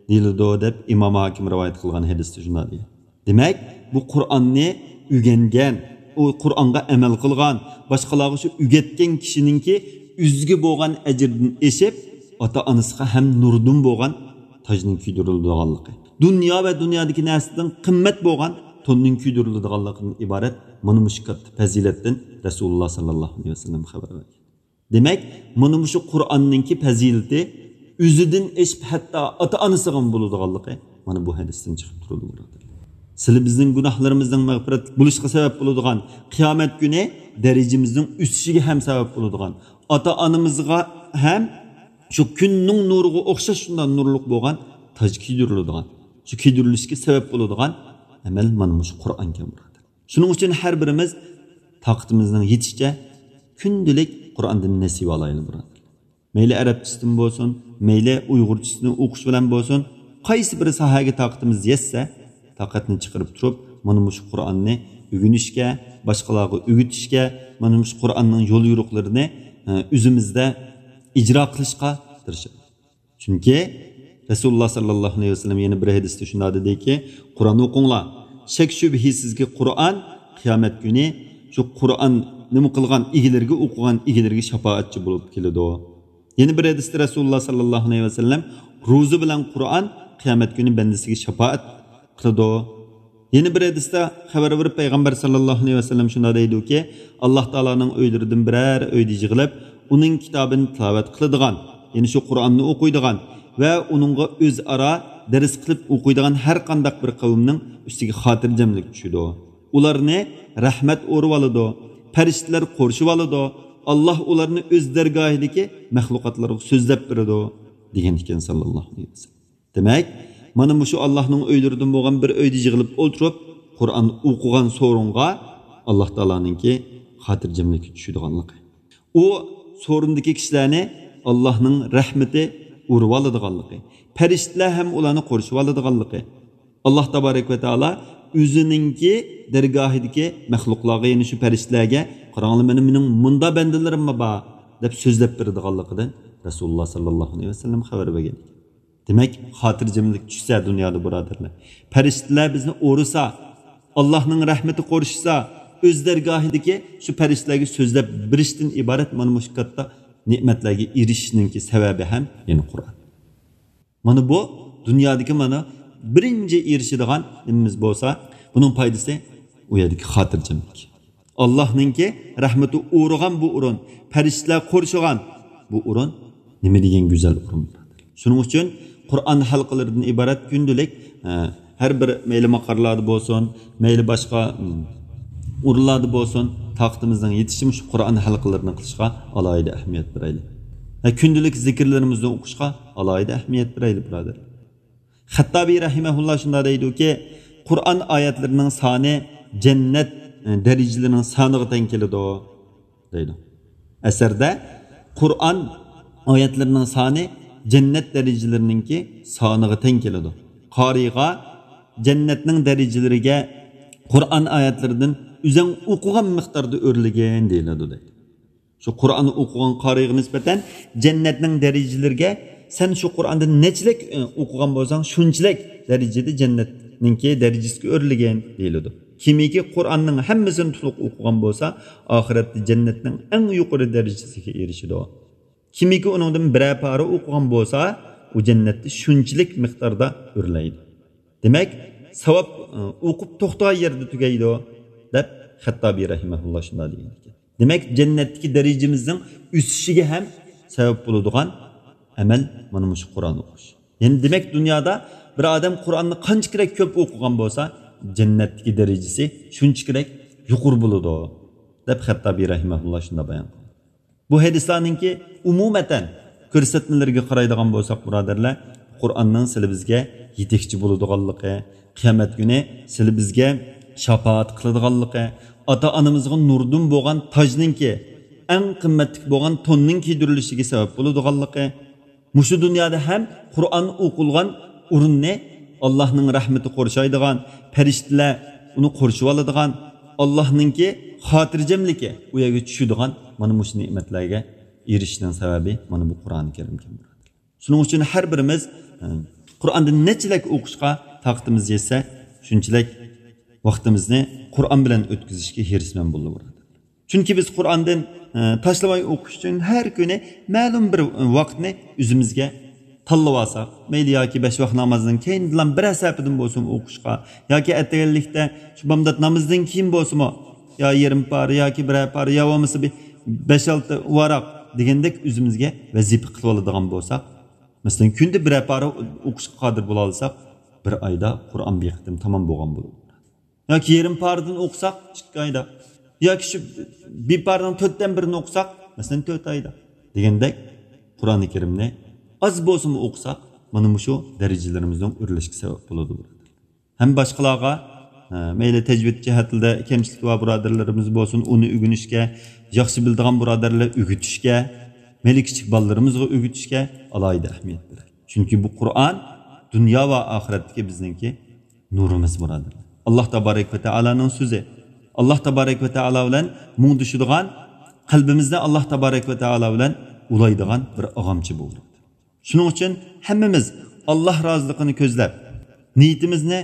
دېيىلىدۇ، دەپ ئىمام ھاكىم رىۋايەت قىلغان ھەدىستە شۇنداق دېگەن. دېمەك، بۇ قۇرئاننى ئۆگەنگەن، ئۇ قۇرئانغا ئەمەل قىلغان، باشقىلارغا شۇ ئۆگەتكەن كىشىنىڭكى ئۆزىگە بولغان ئەجىردىن ئېشىپ، ئاتا-ئانىسىغا ھەم نۇردىن بولغان تاجنىڭ كىيدۈرۈلىدىغانلىقى، دۇنيا ۋە دۇنيادىكى نەرسىدىن قىممەت بولغان توننىڭ كىيدۈرۈلىدىغانلىقىدىن ئىبارەت مانا مۇشۇ كاتتا پەزىلەتتىن رەسۇلۇللا ساللاللاھۇ ئەلەيھى ۋەسەللەم خەۋەر بەرگەن. دېمەك، مانا مۇشۇ قۇرئاننىڭكى پەزىلىتى ئۆزىدىن ئېشىپ ھەتتا ئاتا-ئانىسىغىمۇ بولىدىغانلىقى مانا بۇ ھەدىستىن چىقىپ تۇرىدۇ، بۇرادەرلەر. سىلى بىزنىڭ گۇناھلىرىمىزنىڭ مەغپىرەت بولۇشىغا سەۋەب بولىدىغان، قىيامەت كۈنى دەرىجىمىزنىڭ ئۆسۈشىگە ھەم سەۋەب بولىدىغان، ئاتا-ئانىمىزغا ھەم شۇ كۈننىڭ نۇرىغا ئوخشاش شۇنداق نۇرلۇق بولغان تاج كىيدۈرۈلىدىغان، شۇ كىيدۈرۈلۈشكە سەۋەب بولىدىغان ئەمەل مانا مۇشۇ قۇرئانكەن، بۇرادەر. شۇنىڭ ئۈچۈن ھەر بىرىمىز تاقىتىمىزنىڭ يېتىشىچە كۈندىلىك قۇرئاندىن نېسىۋە ئالايلى، بۇرادەر. مەيلى ئەرەبچىسىدىن بولسۇن، مەيلى ئۇيغۇرچىسىنى ئوقۇش بىلەن بولسۇن، قايسى بىر ساھەگە تاقىتىمىز يەتسە، تاقەتنى چىقىرىپ تۇرۇپ، مانا مۇشۇ قۇرئاننى ئۆگىنىشكە، باشقىلارغا ئۆگىتىشكە، مانا مۇشۇ قۇرئاننىڭ يول يورۇقلىرىنى، ئە، ئۆزىمىزدە ئىجرا قىلىشقا تىرىشىمىز. چۈنكى رەسۇلۇللاھ ساللاللاھۇ ئەلەيھى ۋەسەللەم يەنە بىر ھەدىستە شۇنداق دېدىكى، قۇرئان ئوقۇڭلار. شەك شۈبھىسىزكى، قۇرئان قىيامەت كۈنى شۇ قۇرئان نېمە قىلغان ئىگىلىرىگە، ئوقۇغان ئىگىلىرىگە شاپائەتچى بولۇپ كېلىدۇ. يەنە بىر ھەدىستە رەسۇلۇللاھ ساللاللاھۇ ئەلەيھى ۋەسەللەم، روزا بىلەن قۇرئان قىيامەت كۈنى بەندىسىگە شاپائەت قىلىدۇ. يەنە بىر ھەدىستە خەۋەر بېرىپ، پەيغەمبەر ساللاللاھۇ ئەلەيھى ۋەسەللەم شۇنداق دەيدۇكى، ئاللاھ تائالانىڭ ئۆيلىرىدىن بىرەر ئۆيدە يىغىلىپ، ئۇنىڭ كىتابىنى تىلاۋەت قىلىدىغان، يەنى شۇ قۇرئاننى ئوقۇيدىغان ۋە ئۇنىڭغا ئۆزئارا دەرس قىلىپ ئوقۇيدىغان ھەر قانداق بىر قەۋمنىڭ ئۈستىگە خاتىرجەملىك چۈشىدۇ. ئۇلارنى رەھمەت ئورىۋالىدۇ، پەرىشتىلەر قورشىۋالىدۇ، ئاللاھ ئۇلارنى ئۆز دەرگاھىدىكى مەخلۇقاتلارغا سۆزلەپ بېرىدۇ، دېگەن ئىكەن ساللاللاھۇ ئەلەيھى ۋەسەللەم. دېمەك، مانا مۇشۇ ئاللاھنىڭ ئۆيلىرىدىن بولغان بىر ئۆيدە يىغىلىپ ئولتۇرۇپ، قۇرئان ئوقۇغان سورۇنغا ئاللاھ تائالانىڭكى خاتىرجەملىكى چۈشىدىغانلىقى. ئۇ سورۇندىكى كىشىلەرنى ئاللاھنىڭ رەھمىتى ئۇرۇۋالىدىغانلىقى، پەرىشتىلەر ھەم ئۇلارنى قورشىۋالىدىغانلىقى. ئاللاھ تابارەك ۋە تائالا ئۆزىنىڭكى دەرگاھىدىكى مەخلۇقلارغا، يەنى شۇ پەرىشتىلەرگە، قاراڭلار، مېنىڭ، مېنىڭ مۇندا بەندىلىرىممۇ بار، دەپ سۆزلەپ بېرىدىغانلىقىدىن رەسۇلۇللاھ ساللاللاھۇ ئەلەيھى ۋەسەللەم خەۋەر بەرگەن. دېمەك، خاتىرجەملىك چۈشسە دۇنيادا، بۇرادەرلەر، پەرىشتىلەر بىزنى ئورىسا، ئاللاھنىڭ رەھمىتى قورشىسا، ئۆز دەرگاھىدىكى شۇ پەرىشتىلەرگە سۆزلەپ بېرىشتىن ئىبارەت مانا مۇشۇ كاتتا نېمەتلەرگە ئېرىشىشنىڭكى سەۋەبى ھەم يەنە قۇرئان. مانا بۇ دۇنيادىكى مانا بىرىنچى ئېرىشىدىغان نېمىمىز بولسا، بۇنىڭ پايدىسى ئۇ يەردىكى خاتىرجەملىك. ئاللاھنىڭكى رەھمىتى ئورىغان بۇ ئورۇن، پەرىشتىلەر قورشىغان بۇ ئورۇن نېمە دېگەن گۈزەل ئورۇن. شۇنىڭ ئۈچۈن قۇرئان ھەلقىلىرىدىن ئىبارەت كۈندىلىك، ئە، ھەر بىر مەيلى ماقارلاردا بولسۇن، مەيلى باشقا، ئىم، ئورۇنلاردا بولسۇن، تاقىتىمىزنىڭ يېتىشىچە مۇشۇ قۇرئان ھەلقىلىرىنى قىلىشقا ئالاھىدە ئەھمىيەت بېرەيلى. ھە، كۈندىلىك زىكىرلىرىمىزنى ئوقۇشقا ئالاھىدە ئەھمىيەت بېرەيلى، بۇرادەر. خەتتابى رەھىمەھۇللا شۇنداق دەيدۇكى، قۇرئان ئايەتلىرىنىڭ سانى جەننەت، ئە، دەرىجىلىرىنىڭ سانىغا تەڭ كېلىدۇ، دەيدۇ. ئەسەردە قۇرئان ئايەتلىرىنىڭ سانى جەننەت دەرىجىلىرىنىڭكى سانىغا تەڭ كېلىدۇ. قارىيغا جەننەتنىڭ دەرىجىلىرىگە قۇرئان ئايەتلىرىدىن ئۆزەڭ ئوقۇغان مىقداردا ئۆرلىگىن دېيىلىدۇ، دەيدۇ. شۇ قۇرئاننى ئوقۇغان قارىيغا نىسبەتەن جەننەتنىڭ دەرىجىلىرىگە سەن شۇ قۇرئاندىن نەچچىلىك، ئە، ئوقۇغان بولساڭ، شۇنچىلىك دەرىجىدە جەننەتنىڭكى دەرىجىسىگە ئۆرلىگىن دېيىلىدۇ. كىمكى قۇرئاننىڭ ھەممىسىنى تولۇق ئوقۇغان بولسا، ئاخىرەتتە جەننەتنىڭ ئەڭ يۇقىرى دەرىجىسىگە ئېرىشىدۇ. كىمكى ئۇنىڭدىن بىرەر پارە ئوقۇغان بولسا، ئۇ جەننەتتە شۇنچىلىك مىقداردا ئۆرلەيدۇ. دېمەك، ساۋاب، ئە، ئوقۇپ توختىغان يەردە تۈگەيدۇ، دەپ خەتتابى رەھىمەھۇللا شۇنداق دېگەن ئىكەن. دېمەك، جەننەتتىكى دەرىجىمىزنىڭ ئۆسۈشىگە ھەم سەۋەب بولىدىغان ئەمەل مانا مۇشۇ قۇرئان ئوقۇش. يەنى دېمەك، دۇنيادا بىر ئادەم قۇرئاننى قانچە كېرەك كۆپ ئوقۇغان بولسا، جەننەتتىكى دەرىجىسى شۇنچە كېرەك يۇقىرى بولىدۇ، دەپ خەتتابى رەھىمەھۇللا شۇنداق بايان قىلغان. بۇ ھەدىسلەرنىڭكى ئومۇمەن كۆرسەتمىلىرىگە قارايدىغان بولساق، بۇرادەرلەر، قۇرئاننىڭ سىلى بىزگە يېتەكچى بولىدىغانلىقى، قىيامەت كۈنى سىلى بىزگە شاپائەت قىلىدىغانلىقى، ئاتا-ئانىمىزغا نۇردىن بولغان تاجنىڭكى، ئەڭ قىممەتلىك بولغان توننىڭ كىيدۈرۈلۈشىگە سەۋەب بولىدىغانلىقى، مۇشۇ دۇنيادا ھەم قۇرئان ئوقۇلغان ئورۇننى ئاللاھنىڭ رەھمىتى قورشايدىغان، پەرىشتىلەر ئۇنى قورشىۋالىدىغان، ئاللاھنىڭكى خاتىرجەملىكى ئۇ يەرگە چۈشىدىغان، مانا مۇشۇ نېمەتلەرگە ئېرىشىشنىڭ سەۋەبى مانا بۇ قۇرئانى كەرىمكەن. شۇنىڭ ئۈچۈن ھەر بىرىمىز، ئە، قۇرئاندىن نەچچىلەك ئوقۇشقا تاقىتىمىز يەتسە، شۇنچىلەك ۋاقتىمىزنى قۇرئان بىلەن ئۆتكۈزۈشكە ھېرىسمەن بولىدۇ، بۇرادەر. چۈنكى بىز قۇرئاندىن، ئە، تاشلىماي ئوقۇش ئۈچۈن ھەر كۈنى مەلۇم بىر ۋاقىتنى ئۆزىمىزگە تاللىۋالساق، مەيلى ياكى بەش ۋاق نامازدىن كېيىندىلا بىرەر سەھىپىدىن بولسىمۇ ئوقۇشقا، ياكى ئەتىگەنلىكتە شۇ بامدات نامىزىدىن كېيىن بولسىمۇ، يا يېرىم پارە ياكى بىرەر پارە، يا بولمىسا بىر بەش-ئالتە ۋاراق دېگەندەك ئۆزىمىزگە ۋەزىپە قىلىۋالىدىغان بولساق، مەسىلەن، كۈندە بىرەر پارە ئوقۇشقا قادىر بولالىساق، بىر ئايدا قۇرئان بىر قېتىم تامام بولغان بولىدۇ. ياكى يېرىم پارىدىن ئوقۇساق، ئىككى ئايدا. ياكى شۇ بىر پارىنىڭ تۆتتىن بىرىنى ئوقۇساق، مەسىلەن، تۆت ئايدا دېگەندەك، قۇرئانى كەرىمنى ئاز بولسىمۇ ئوقۇساق، مانا مۇشۇ دەرىجىلىرىمىزنىڭ ئۆرلەشكە سەۋەب بولىدۇ. ھەم باشقىلارغا، ئە، مەيلى تەجۋىد جەھەتتە كەمچىلىكى بار بۇرادەرلىرىمىز بولسۇن، ئۇنى ئۆگىنىشكە، ياخشى بىلىدىغان بۇرادەرلەر ئۆگىتىشكە، مەيلى كىچىك بالىلىرىمىزغا ئۆگىتىشكە ئالاھىدە ئەھمىيەت بېرەيلى. چۈنكى بۇ قۇرئان دۇنيا ۋە ئاخىرەتتىكى بىزنىڭكى نۇرىمىز، بۇرادەرلەر. ئاللاھ تابارەك ۋە تائالانىڭ سۆزى. ئاللاھ تابارەك ۋە تائالا بىلەن مۇڭدىشىدىغان، قەلبىمىزنى ئاللاھ تابارەك ۋە تائالا بىلەن ئۇلايدىغان بىر ئاغامچى بولدۇق. شۇنىڭ ئۈچۈن ھەممىمىز ئاللاھ رازىلىقىنى كۆزلەپ، نىيىتىمىزنى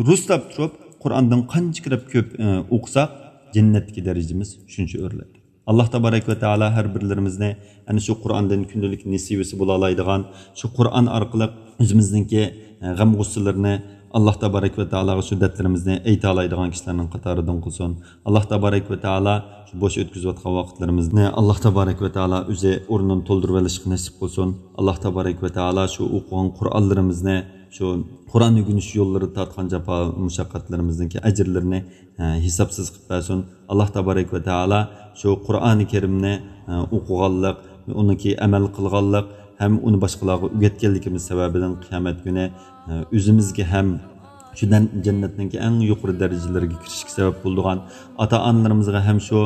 رۇسلاپ تۇرۇپ، قۇرئاندىن قانچە كۆپ، ئە، ئوقۇساق، جەننەتتىكى دەرىجىمىز شۇنچە ئۆرلەيدۇ. ئاللاھ تابارەك ۋە تائالا ھەر بىرلىرىمىزنى ئەنە شۇ قۇرئاندىن كۈندىلىك نېسىۋىسى بولالايدىغان، شۇ قۇرئان ئارقىلىق ئۆزىمىزنىڭكى، ئە، غەم-غۇسسىلىرىنى ئاللاھ تابارەك ۋە تائالاغا شۇ دەردلىرىمىزنى ئېيتالايدىغان كىشىلەرنىڭ قاتارىدىن قىلسۇن. ئاللاھ تابارەك ۋە تائالا شۇ بوش ئۆتكۈزۈۋاتقان ۋاقىتلىرىمىزنى ئاللاھ تابارەك ۋە تائالا ئۆزى ئورنىنى تولدۇرۇۋېلىشقا نېسىپ قىلسۇن. ئاللاھ تابارەك ۋە تائالا شۇ ئوقۇغان قۇرئانلىرىمىزنى، شۇ قۇرئان ئۆگىنىش يوللىرىدا تارتقان جاپا مۇشەققەتلىرىمىزنىڭكى ئەجىرلىرىنى، ھە، ھېسابسىز قىلىپ بەرسۇن. ئاللاھ تابارەك ۋە تائالا شۇ قۇرئانى كەرىمنى، ھە، ئوقۇغانلىق، ئۇنىڭكى ئەمەل قىلغانلىق ھەم ئۇنى باشقىلارغا ئۆگەتكەنلىكىمىز سەۋەبىدىن قىيامەت كۈنى، ھە، ئۆزىمىزگە ھەم شۇ دەن-، جەننەتنىڭكى ئەڭ يۇقىرى دەرىجىلىرىگە كىرىشكە سەۋەب بولىدىغان ئاتا-ئانىلىرىمىزغا ھەم شۇ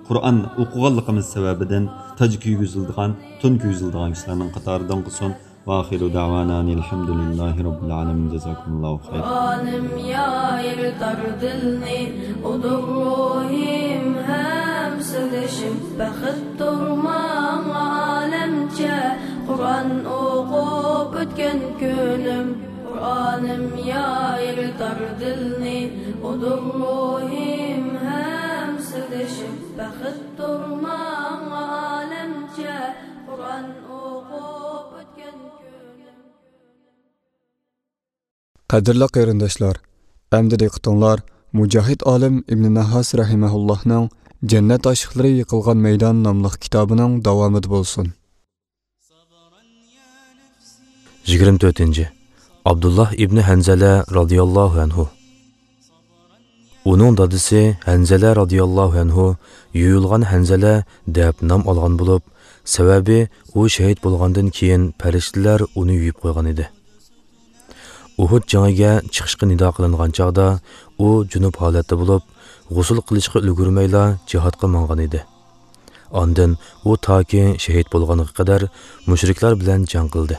قۇرئان ئوقۇغانلىقىمىز سەۋەبىدىن تاج كىيگۈزۈلىدىغان، تون كىيگۈزۈلىدىغان كىشىلەرنىڭ قاتارىدىن قىلسۇن. ۋە ئاخىرۇ دەۋانا ئەنىل ھەمدۇلىللاھى رەببىل ئالەمىن. جازاكۇمۇللاھۇ خەيرا. قۇرئانىم يايرىتار دىلنى، ئۇدۇر روھىم ھەم سىردىشىم، بەختتۇر ماڭا ئالەمچە، قۇرئان ئوقۇپ ئۆتكەن كۈنۈم. قۇرئانىم يايرىتار دىلنى، ئۇدۇر روھىم ھەم سىردىشىم، بەختتۇر ماڭا ئالەمچە، قۇرئان ئوقۇپ ئۆتكەن كۈنۈم. قەدىرلىك قېرىنداشلار، ئەمدى دىققىتىڭلار مۇجاھىد ئالىم ئىبنى نەھاس رەھىمەھۇللاھنىڭ جەننەت ئاشىقلىرى يىقىلغان مەيدان ناملىق كىتابىنىڭ داۋامىدا بولسۇن. يىگىرمە تۆتىنچى. ئابدۇللاھ ئىبنى ھەنزەلە رازىياللاھۇ ئەنھۇ. ئۇنىڭ دادىسى ھەنزەلە رازىياللاھۇ ئەنھۇ يۇيۇلغان ھەنزەلە دەپ نام ئالغان بولۇپ، سەۋەبى ئۇ شېھىت بولغاندىن كېيىن پەرىشتىلەر ئۇنى يۇيۇپ قويغان ئىدى. ئۇھۇد جېڭىگە چىقىشقا نىدا قىلىنغان چاغدا ئۇ جۇنۇپ ھالەتتە بولۇپ، غۇسۇل قىلىشقا ئۈلگۈرمەيلا جىھادقا ماڭغان ئىدى. ئاندىن ئۇ تاكى شېھىت بولغانغا قەدەر مۇشرىكلار بىلەن جەڭ قىلدى.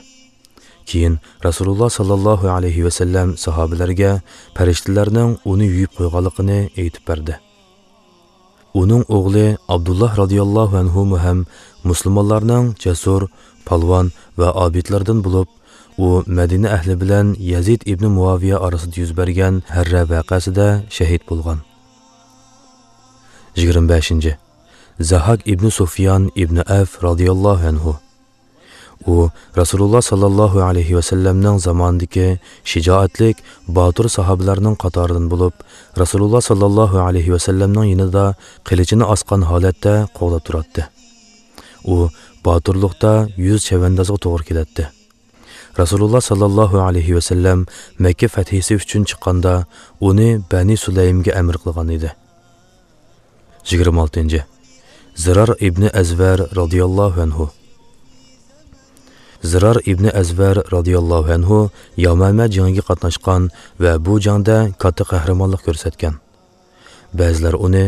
كېيىن رەسۇلۇللاھ ساللاللاھۇ ئەلەيھى ۋەسەللەم ساھابىلەرگە پەرىشتىلەرنىڭ ئۇنى يۇيۇپ قويغانلىقىنى ئېيتىپ بەردى. ئۇنىڭ ئوغلى ئابدۇللاھ رازىياللاھۇ ئەنھۇمۇ ھەم مۇسۇلمانلارنىڭ جەسۇر، پالۋان ۋە ئابىدلىرىدىن بولۇپ، ئۇ مەدىنە ئەھلى بىلەن يەزىد ئىبنى مۇئاۋىيە ئارىسىدا يۈز بەرگەن ھەررە ۋەقەسىدە شېھىت بولغان. يىگىرمە بەشىنچى. زاھاك ئىبنى سۇفيان ئىبنى ئەف رازىياللاھۇ ئەنھۇ. ئۇ رەسۇلۇللاھ ساللاللاھۇ ئەلەيھى ۋەسەللەمنىڭ زامانىدىكى شىجائەتلىك، باتۇر ساھابىلەرنىڭ قاتارىدىن بولۇپ، رەسۇلۇللاھ ساللاللاھۇ ئەلەيھى ۋەسەللەمنىڭ يېنىدا قىلىچىنى ئاسقان ھالەتتە قوغداپ تۇراتتى. ئۇ باتۇرلۇقتا يۈز چەۋەندازغا توغرا كېلەتتى. رەسۇلۇللاھ ساللاللاھۇ ئەلەيھى ۋەسەللەم مەككە فەتھىسى ئۈچۈن چىققاندا، ئۇنى بەنى سۇلەيمگە ئەمىر قىلغان ئىدى. يىگىرمە ئالتىنچى. زىرار ئىبنى ئەزۋەر رازىياللاھۇ ئەنھۇ. زىرار ئىبنى ئەزۋەر رازىياللاھۇ ئەنھۇ يامامە جېڭىگە قاتناشقان ۋە بۇ جەڭدە كاتتا قەھرىمانلىق كۆرسەتكەن. بەزىلەر ئۇنى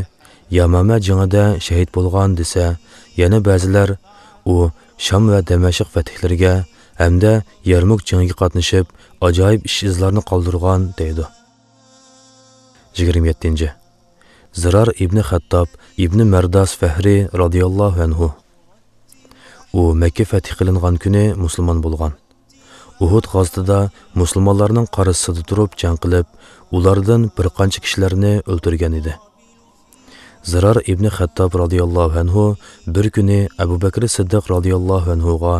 يامامە جېڭىدە شېھىت بولغان دېسە، يەنە بەزىلەر ئۇ شام ۋە دەمەشق فەتھلىرىگە ھەمدە يەرمۇك جېڭىگە قاتنىشىپ، ئاجايىپ ئىش-ئىزلارنى قالدۇرغان دەيدۇ. يىگىرمە يەتتىنچى. زىرار ئىبنى خەتتاب ئىبنى مەرداس فەھرى رازىياللاھۇ ئەنھۇ. ئۇ مەككە فەتھى قىلىنغان كۈنى مۇسۇلمان بولغان. ئۇھۇد غازىتىدا مۇسۇلمانلارنىڭ قارشىسىدا تۇرۇپ جەڭ قىلىپ، ئۇلاردىن بىر قانچە كىشىلەرنى ئۆلتۈرگەن ئىدى. زىرار ئىبنى خەتتاب رازىياللاھۇ ئەنھۇ بىر كۈنى ئەبۇ بەكرى سىددىق رازىياللاھۇ ئەنھۇغا،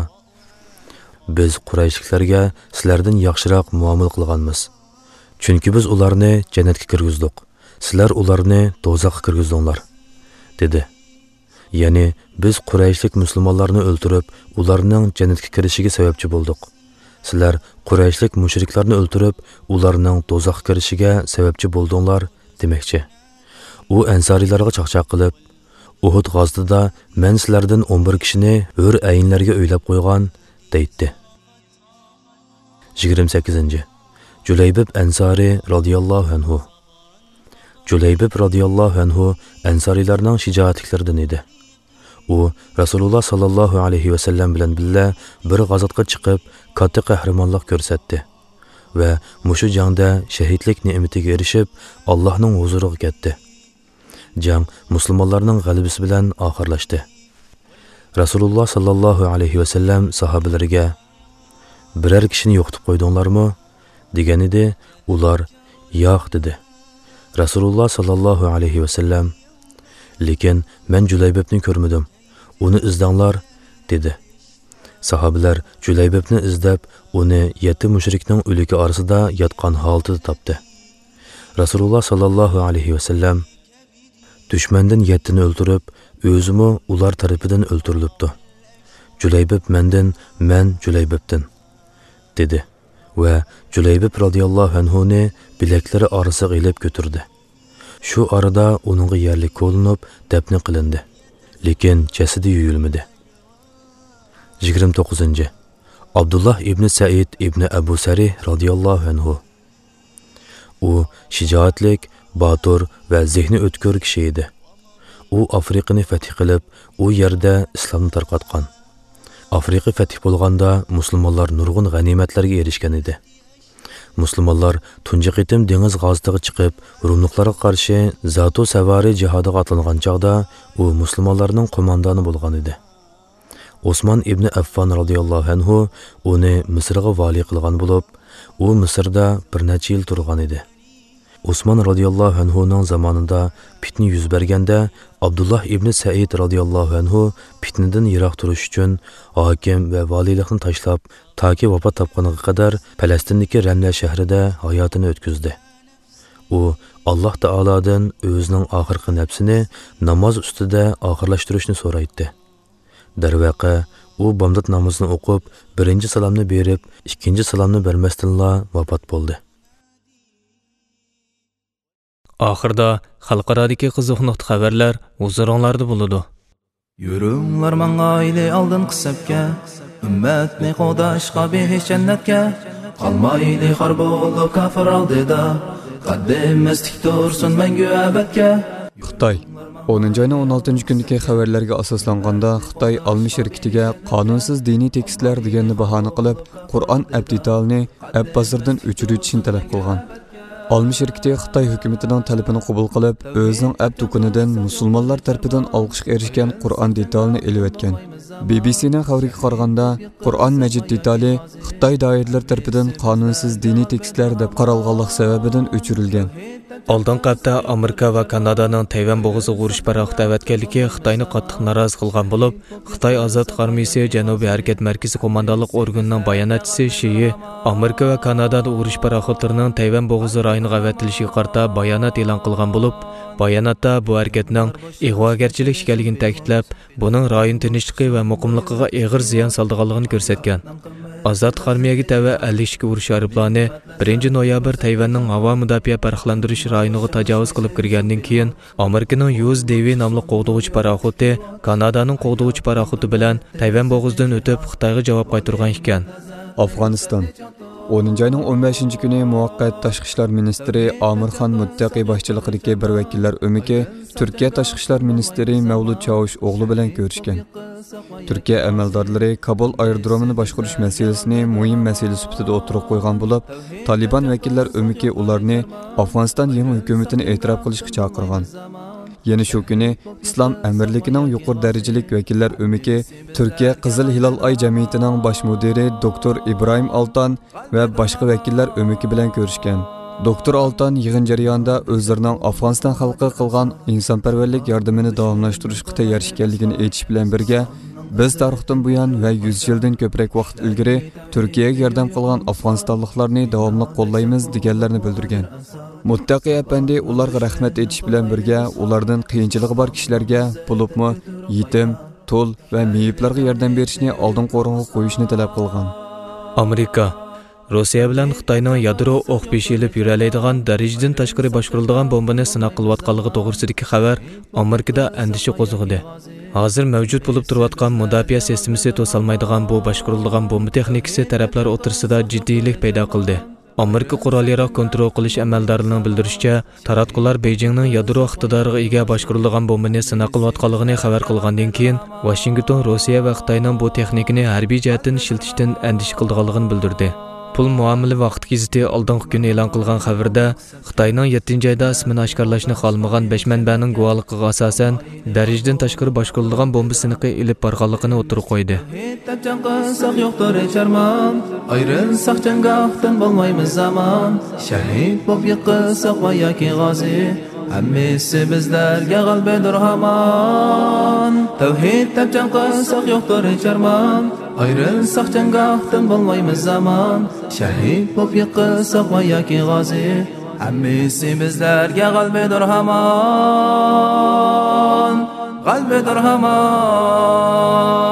«بىز قۇرەيشلىكلەرگە سىلەردىن ياخشىراق مۇئامىلە قىلغانمىز. چۈنكى بىز ئۇلارنى جەننەتكە كىرگۈزدۇق. سىلەر ئۇلارنى دوزاخقا كىرگۈزدۈڭلار» دېدى. يەنى، «بىز قۇرەيشلىك مۇسۇلمانلارنى ئۆلتۈرۈپ، ئۇلارنىڭ جەننەتكە كىرىشىگە سەۋەبچى بولدۇق. سىلەر قۇرەيشلىك مۇشرىكلارنى ئۆلتۈرۈپ، ئۇلارنىڭ دوزاخقا كىرىشىگە سەۋەبچى بولدۇڭلار» دېمەكچى. ئۇ ئەنسارىيلارغا چاقچاق قىلىپ، «ئۇھۇد غازىتىدا مەن سىلەردىن ئون بىر كىشىنى ھۆر ئەينلەرگە ئۆيلەپ قويغان» دەيتتى. يىگىرمە سەككىزىنچى. جۇلەيبىب ئەنسارى رازىياللاھۇ ئەنھۇ. جۇلەيبىب رازىياللاھۇ ئەنھۇ ئەنسارىيلارنىڭ شىجائەتلىكلىرىدىن ئىدى. ئۇ رەسۇلۇللاھ ساللاللاھۇ ئەلەيھى ۋەسەللەم بىلەن بىللە بىر غازاتقا چىقىپ، كاتتا قەھرىمانلىق كۆرسەتتى. ۋە مۇشۇ جەڭدە شەھىدلىك نېمىتىگە ئېرىشىپ، ئاللاھنىڭ ھۇزۇرىغا كەتتى. جەڭ مۇسۇلمانلارنىڭ غەلىبىسى بىلەن ئاخىرلاشتى. رەسۇلۇللا ساللاللاھۇ ئەلەيھى ۋەسەللەم ساھابىلىرىگە، «بىرەر كىشىنى يوقىتىپ قويدۇڭلارمۇ؟» دېگەنىدى، ئۇلار، «ياق» دېدى. رەسۇلۇللا ساللاللاھۇ ئەلەيھى ۋەسەللەم، «لېكىن مەن جۇلەيبىبنى كۆرمىدىم، ئۇنى ئىزدەڭلار» دېدى. ساھابىلەر جۇلەيبىبنى ئىزدەپ، ئۇنى يەتتە مۇشرىكنىڭ ئۆلۈكى ئارىسىدا ياتقان ھالىتىدە تاپتى. رەسۇلۇللا ساللاللاھۇ ئەلەيھى ۋەسەللەم، «دۈشمەندىن يەتتىنى ئۆلتۈرۈپ، ئۆزىمۇ ئۇلار تەرىپىدىن ئۆلتۈرۈلۈپتۇ. جۇلەيبىب مەندىن، مەن جۇلەيبىبتىن» دېدى ۋە جۇلەيبىب رازىياللاھۇ ئەنھۇنى بىلەكلىرى ئارىسىغا ئېلىپ كۆتۈردى. شۇ ئارىدا ئۇنىڭغا يەرلىك كولىنىپ دەپنە قىلىندى. لېكىن جەسىتى يۇيۇلمىدى. يىگىرمە توققۇزىنچى، ئابدۇللاھ ئىبنى سەئىد ئىبنى ئەبۇ سەرىھ رازىياللاھۇ ئەنھۇ. ئۇ شىجائەتلىك، باتۇر ۋە زېھنى ئۆتكۈر كىشى ئىدى. ئۇ ئافرىقىنى فەتھ قىلىپ، ئۇ يەردە ئىسلامنى تارقاتقان. ئافرىقا فەتھ بولغاندا مۇسۇلمانلار نۇرغۇن غەنىيمەتلەرگە ئېرىشكەن ئىدى. مۇسۇلمانلار تۇنجى قېتىم دېڭىز غازىتىغا چىقىپ، روملۇقلارغا قارشى زاتۇ سەۋارى جىھادىغا ئاتلانغان چاغدا ئۇ مۇسۇلمانلارنىڭ قوماندانى بولغان ئىدى. ئوسمان ئىبنى ئەففان رازىياللاھۇ ئەنھۇ ئۇنى مىسىرغا ۋالىي قىلغان بولۇپ، ئۇ مىسىردا بىر نەچچە يىل تۇرغان ئىدى. ئوسمان رازىياللاھۇ ئەنھۇنىڭ زامانىدا پىتنە يۈز بەرگەندە، ئابدۇللاھ ئىبنى سەئىد رازىياللاھۇ ئەنھۇ پىتنىدىن يىراق تۇرۇش ئۈچۈن ھاكىم ۋە ۋالىيلىقنى تاشلاپ، تاكى ۋاپات تاپقىنىغا قەدەر پەلەستىندىكى رەملە شەھىرىدە ھاياتىنى ئۆتكۈزدى. ئۇ ئاللاھ تائالادىن ئۆزىنىڭ ئاخىرقى نەپسىنى ناماز ئۈستىدە ئاخىرلاشتۇرۇشنى سورايتتى. دەرۋەقە، ئۇ بامدات نامىزىنى ئوقۇپ، بىرىنچى سالامنى بېرىپ، ئىككىنچى سالامنى بەرمەستىنلا ۋاپات بولدى. ئاخىردا خەلقئارادىكى قىزىق نۇقتا خەۋەرلەر ھۇزۇرۇڭلاردا بولىدۇ. يۈرۈڭلار ماڭايلى ئالدىنقى سەپكە، ئۈممەتنى قوغداشقا بېھىش جەننەتكە. قالمايلى خار بولۇپ كاپىر ئالدىدا، قەددىمىز تىك تۇرسۇن مەڭگۈ ئەبەدكە. خىتاي. ئونىنچى ئاينىڭ ئون ئالتىنچى كۈنىدىكى خەۋەرلەرگە ئاساسلانغاندا، خىتاي ئالما شىركىتىگە قانۇنسىز دىنىي تېكىستلەر دېگەننى باھانە قىلىپ، قۇرئان ئەپ دېتالىنى ئەپ بازىرىدىن ئۆچۈرۈۋېتىشنى تەلەپ قىلغان. ئالما شىركىتى خىتاي ھۆكۈمىتىنىڭ تەلىپىنى قوبۇل قىلىپ، ئۆزىنىڭ ئەپ دۇكىنىدىن مۇسۇلمانلار تەرىپىدىن ئالقىشقا ئېرىشكەن قۇرئان دېتالىنى ئېلىۋەتكەن. بى بى سىنىڭ خەۋىرىگە قارىغاندا، قۇرئان مەجىد دېتالى خىتاي دائىرىلىرى تەرىپىدىن قانۇنسىز دىنىي تېكىستلەر دەپ قارالغانلىق سەۋەبىدىن ئۆچۈرۈلگەن. ئالدىنقى ھەپتە ئامېرىكا ۋە كانادانىڭ تەيۋەن بوغۇزىغا ئۇرۇش پاراخوتى ئەۋەتكەنلىكى خىتاينى قاتتىق نارازى قىلغان بولۇپ، خىتاي ئازادلىق ئارمىيىسى جەنۇبىي ھەرىكەت مەركىزى قوماندانلىق ئورگىنىنىڭ باياناتچىسى شىيى ئامېرىكا ۋە كانادادا ئۇرۇش پاراخوتلىرىنىڭ تەيۋەن بوغۇزى رايونىغا ئەۋەتىلىشىگە قارىتا بايانات ئېلان قىلغان بولۇپ، باياناتتا بۇ ھەرىكەتنىڭ ئىغۋاگەرچىلىك ئىكەنلىكىنى تەكىتلەپ، بۇنىڭ رايون تىنچلىقى ۋە مۇقىملىقىغا ئېغىر زىيان سالىدىغانلىقىنى كۆرسەتكەن. ئازادلىق ئارمىيەگە تەۋە ئەللىك ئىككى ئۇرۇش ئايروپىلانى بىرىنچى نويابىر تەيۋەننىڭ ھاۋا مۇداپىئە پەرقلەندۈرۈش رايونىغا تاجاۋۇز قىلىپ كىرگەندىن كېيىن، ئامېرىكىنىڭ يۇ ئېس دېۋى ناملىق قوغدىغۇچى پاراخوتى كانادانىڭ قوغدىغۇچى پاراخوتى بىلەن تەيۋەن بوغۇزىدىن ئۆتۈپ، خىتايغا جاۋاب قايتۇرغان ئىكەن. ئافغانىستان. ئونىنچى ئاينىڭ ئون بەشىنچى كۈنى مۇۋەققەت تاشقى ئىشلار مىنىستىرى ئامىرخان مۇتتەقى باشچىلىقىدىكى بىر ۋەكىللەر ئۆمىكى تۈركىيە تاشقى ئىشلار مىنىستىرى مەۋلۇت چاۋۇش ئوغلۇ بىلەن كۆرۈشكەن. تۈركىيە ئەمەلدارلىرى كابۇل ئايرودرومىنى باشقۇرۇش مەسىلىسىنى مۇھىم مەسىلە سۈپىتىدە ئوتتۇرىغا قويغان بولۇپ، تالىبان ۋەكىللەر ئۆمىكى ئۇلارنى ئافغانىستان يېڭى ھۆكۈمىتىنى ئېتىراپ قىلىشقا چاقىرغان. يەنە شۇ كۈنى ئىسلام ئەمىرلىكىنىڭ يۇقىرى دەرىجىلىك ۋەكىللەر ئۆمىكى تۈركىيە قىزىل ھىلال ئاي جەمئىيىتىنىڭ باش مۇدىرى دوكتور ئىبراھىم ئالتان ۋە باشقا ۋەكىللەر ئۆمىكى بىلەن كۆرۈشكەن. دوكتور ئالتان يىغىن جەريانىدا ئۆزلىرىنىڭ ئافغانىستان خەلقىگە قىلغان ئىنسانپەرۋەرلىك ياردىمىنى داۋاملاشتۇرۇشقا تەييار ئىكەنلىكىنى ئېيتىش بىلەن بىرگە، بىز تارىختىن بۇيان ۋە يۈز يىلدىن كۆپرەك ۋاقىت ئىلگىرى تۈركىيەگە ياردەم قىلغان ئافغانىستانلىقلارنى داۋاملىق قوللايمىز، دېگەنلەرنى بىلدۈرگەن. مۇتتەقى ئەپەندى ئۇلارغا رەھمەت ئېيتىش بىلەن بىرگە، ئۇلاردىن قىيىنچىلىقى بار كىشىلەرگە، بولۇپمۇ يېتىم، تۇل ۋە مېيىپلارغا ياردەم بېرىشنى ئالدىنقى ئورۇنغا قويۇشنى تەلەپ قىلغان. ئامېرىكا، روسىيە بىلەن خىتاينىڭ يادرو ئوق بېشى ئېلىپ يۈرەلەيدىغان دەرىجىدىن تاشقىرى باشقۇرۇلىدىغان بومبىنى سىناق قىلىۋاتقانلىقى توغرىسىدىكى خەۋەر ئامېرىكىدا ئەندىشە قوزغىدى. ھازىر مەۋجۇت بولۇپ تۇرۇۋاتقان مۇداپىئە سىستېمىسى توسالمايدىغان بۇ باشقۇرۇلىدىغان بومبا تېخنىكىسى تەرەپلەر ئوتتۇرىسىدا جىددىيلىك پەيدا قىلدى. ئامېرىكا قورال ياراغ كونترول قىلىش ئەمەلدارلىرىنىڭ بىلدۈرۈشىچە، تاراتقۇلار بېيجىڭنىڭ يادرو ئىقتىدارىغا ئىگە باشقۇرۇلىدىغان بومبىنى سىناق قىلىۋاتقانلىقىنى خەۋەر قىلغاندىن كېيىن، ۋاشىنگتون روسىيە ۋە خىتاينىڭ بۇ تېخنىكىنى ھەربىي جەھەتتىن ئىشلىتىشتىن ئەندىشە قىلىدىغانلىقىنى بىلدۈردى. پۇل مۇئامىلە ۋاقتى گېزىتى ئالدىنقى كۈنى ئېلان قىلغان خەۋىرىدە، خىتاينىڭ يەتتىنچى ئايدا ئىسمىنى ئاشكارىلاشنى خالىمىغان بەش مەنبەنىڭ گۇۋاھلىقىغا ئاساسەن، دەرىجىدىن تاشقىرى باشقۇرۇلىدىغان بومبا سىنىقى ئېلىپ بارغانلىقىنى ئوتتۇرىغا قويدى. شېھىت دەپ جەڭ قىلساق يوقتۇر ھېچ ئارمان، ئايرىلساق جەڭگاھتىن بولمايمىز ئامان. شەھىد بولۇپ يىقىلساق ۋە ياكى غازى، ھەممىسى بىزلەرگە غەلىبىدۇر ھامان. تەۋھىد دەپ جەڭ قىلساق يوقتۇر ھېچ ئارمان، ئايرىلساق جەڭگاھتىن بولمايمىز ئامان. شەھىد بولۇپ يىقىلساق ۋە ياكى غازى، ھەممىسى بىزلەرگە غەلىبىدۇر ھامان، غەلىبىدۇر ھامان.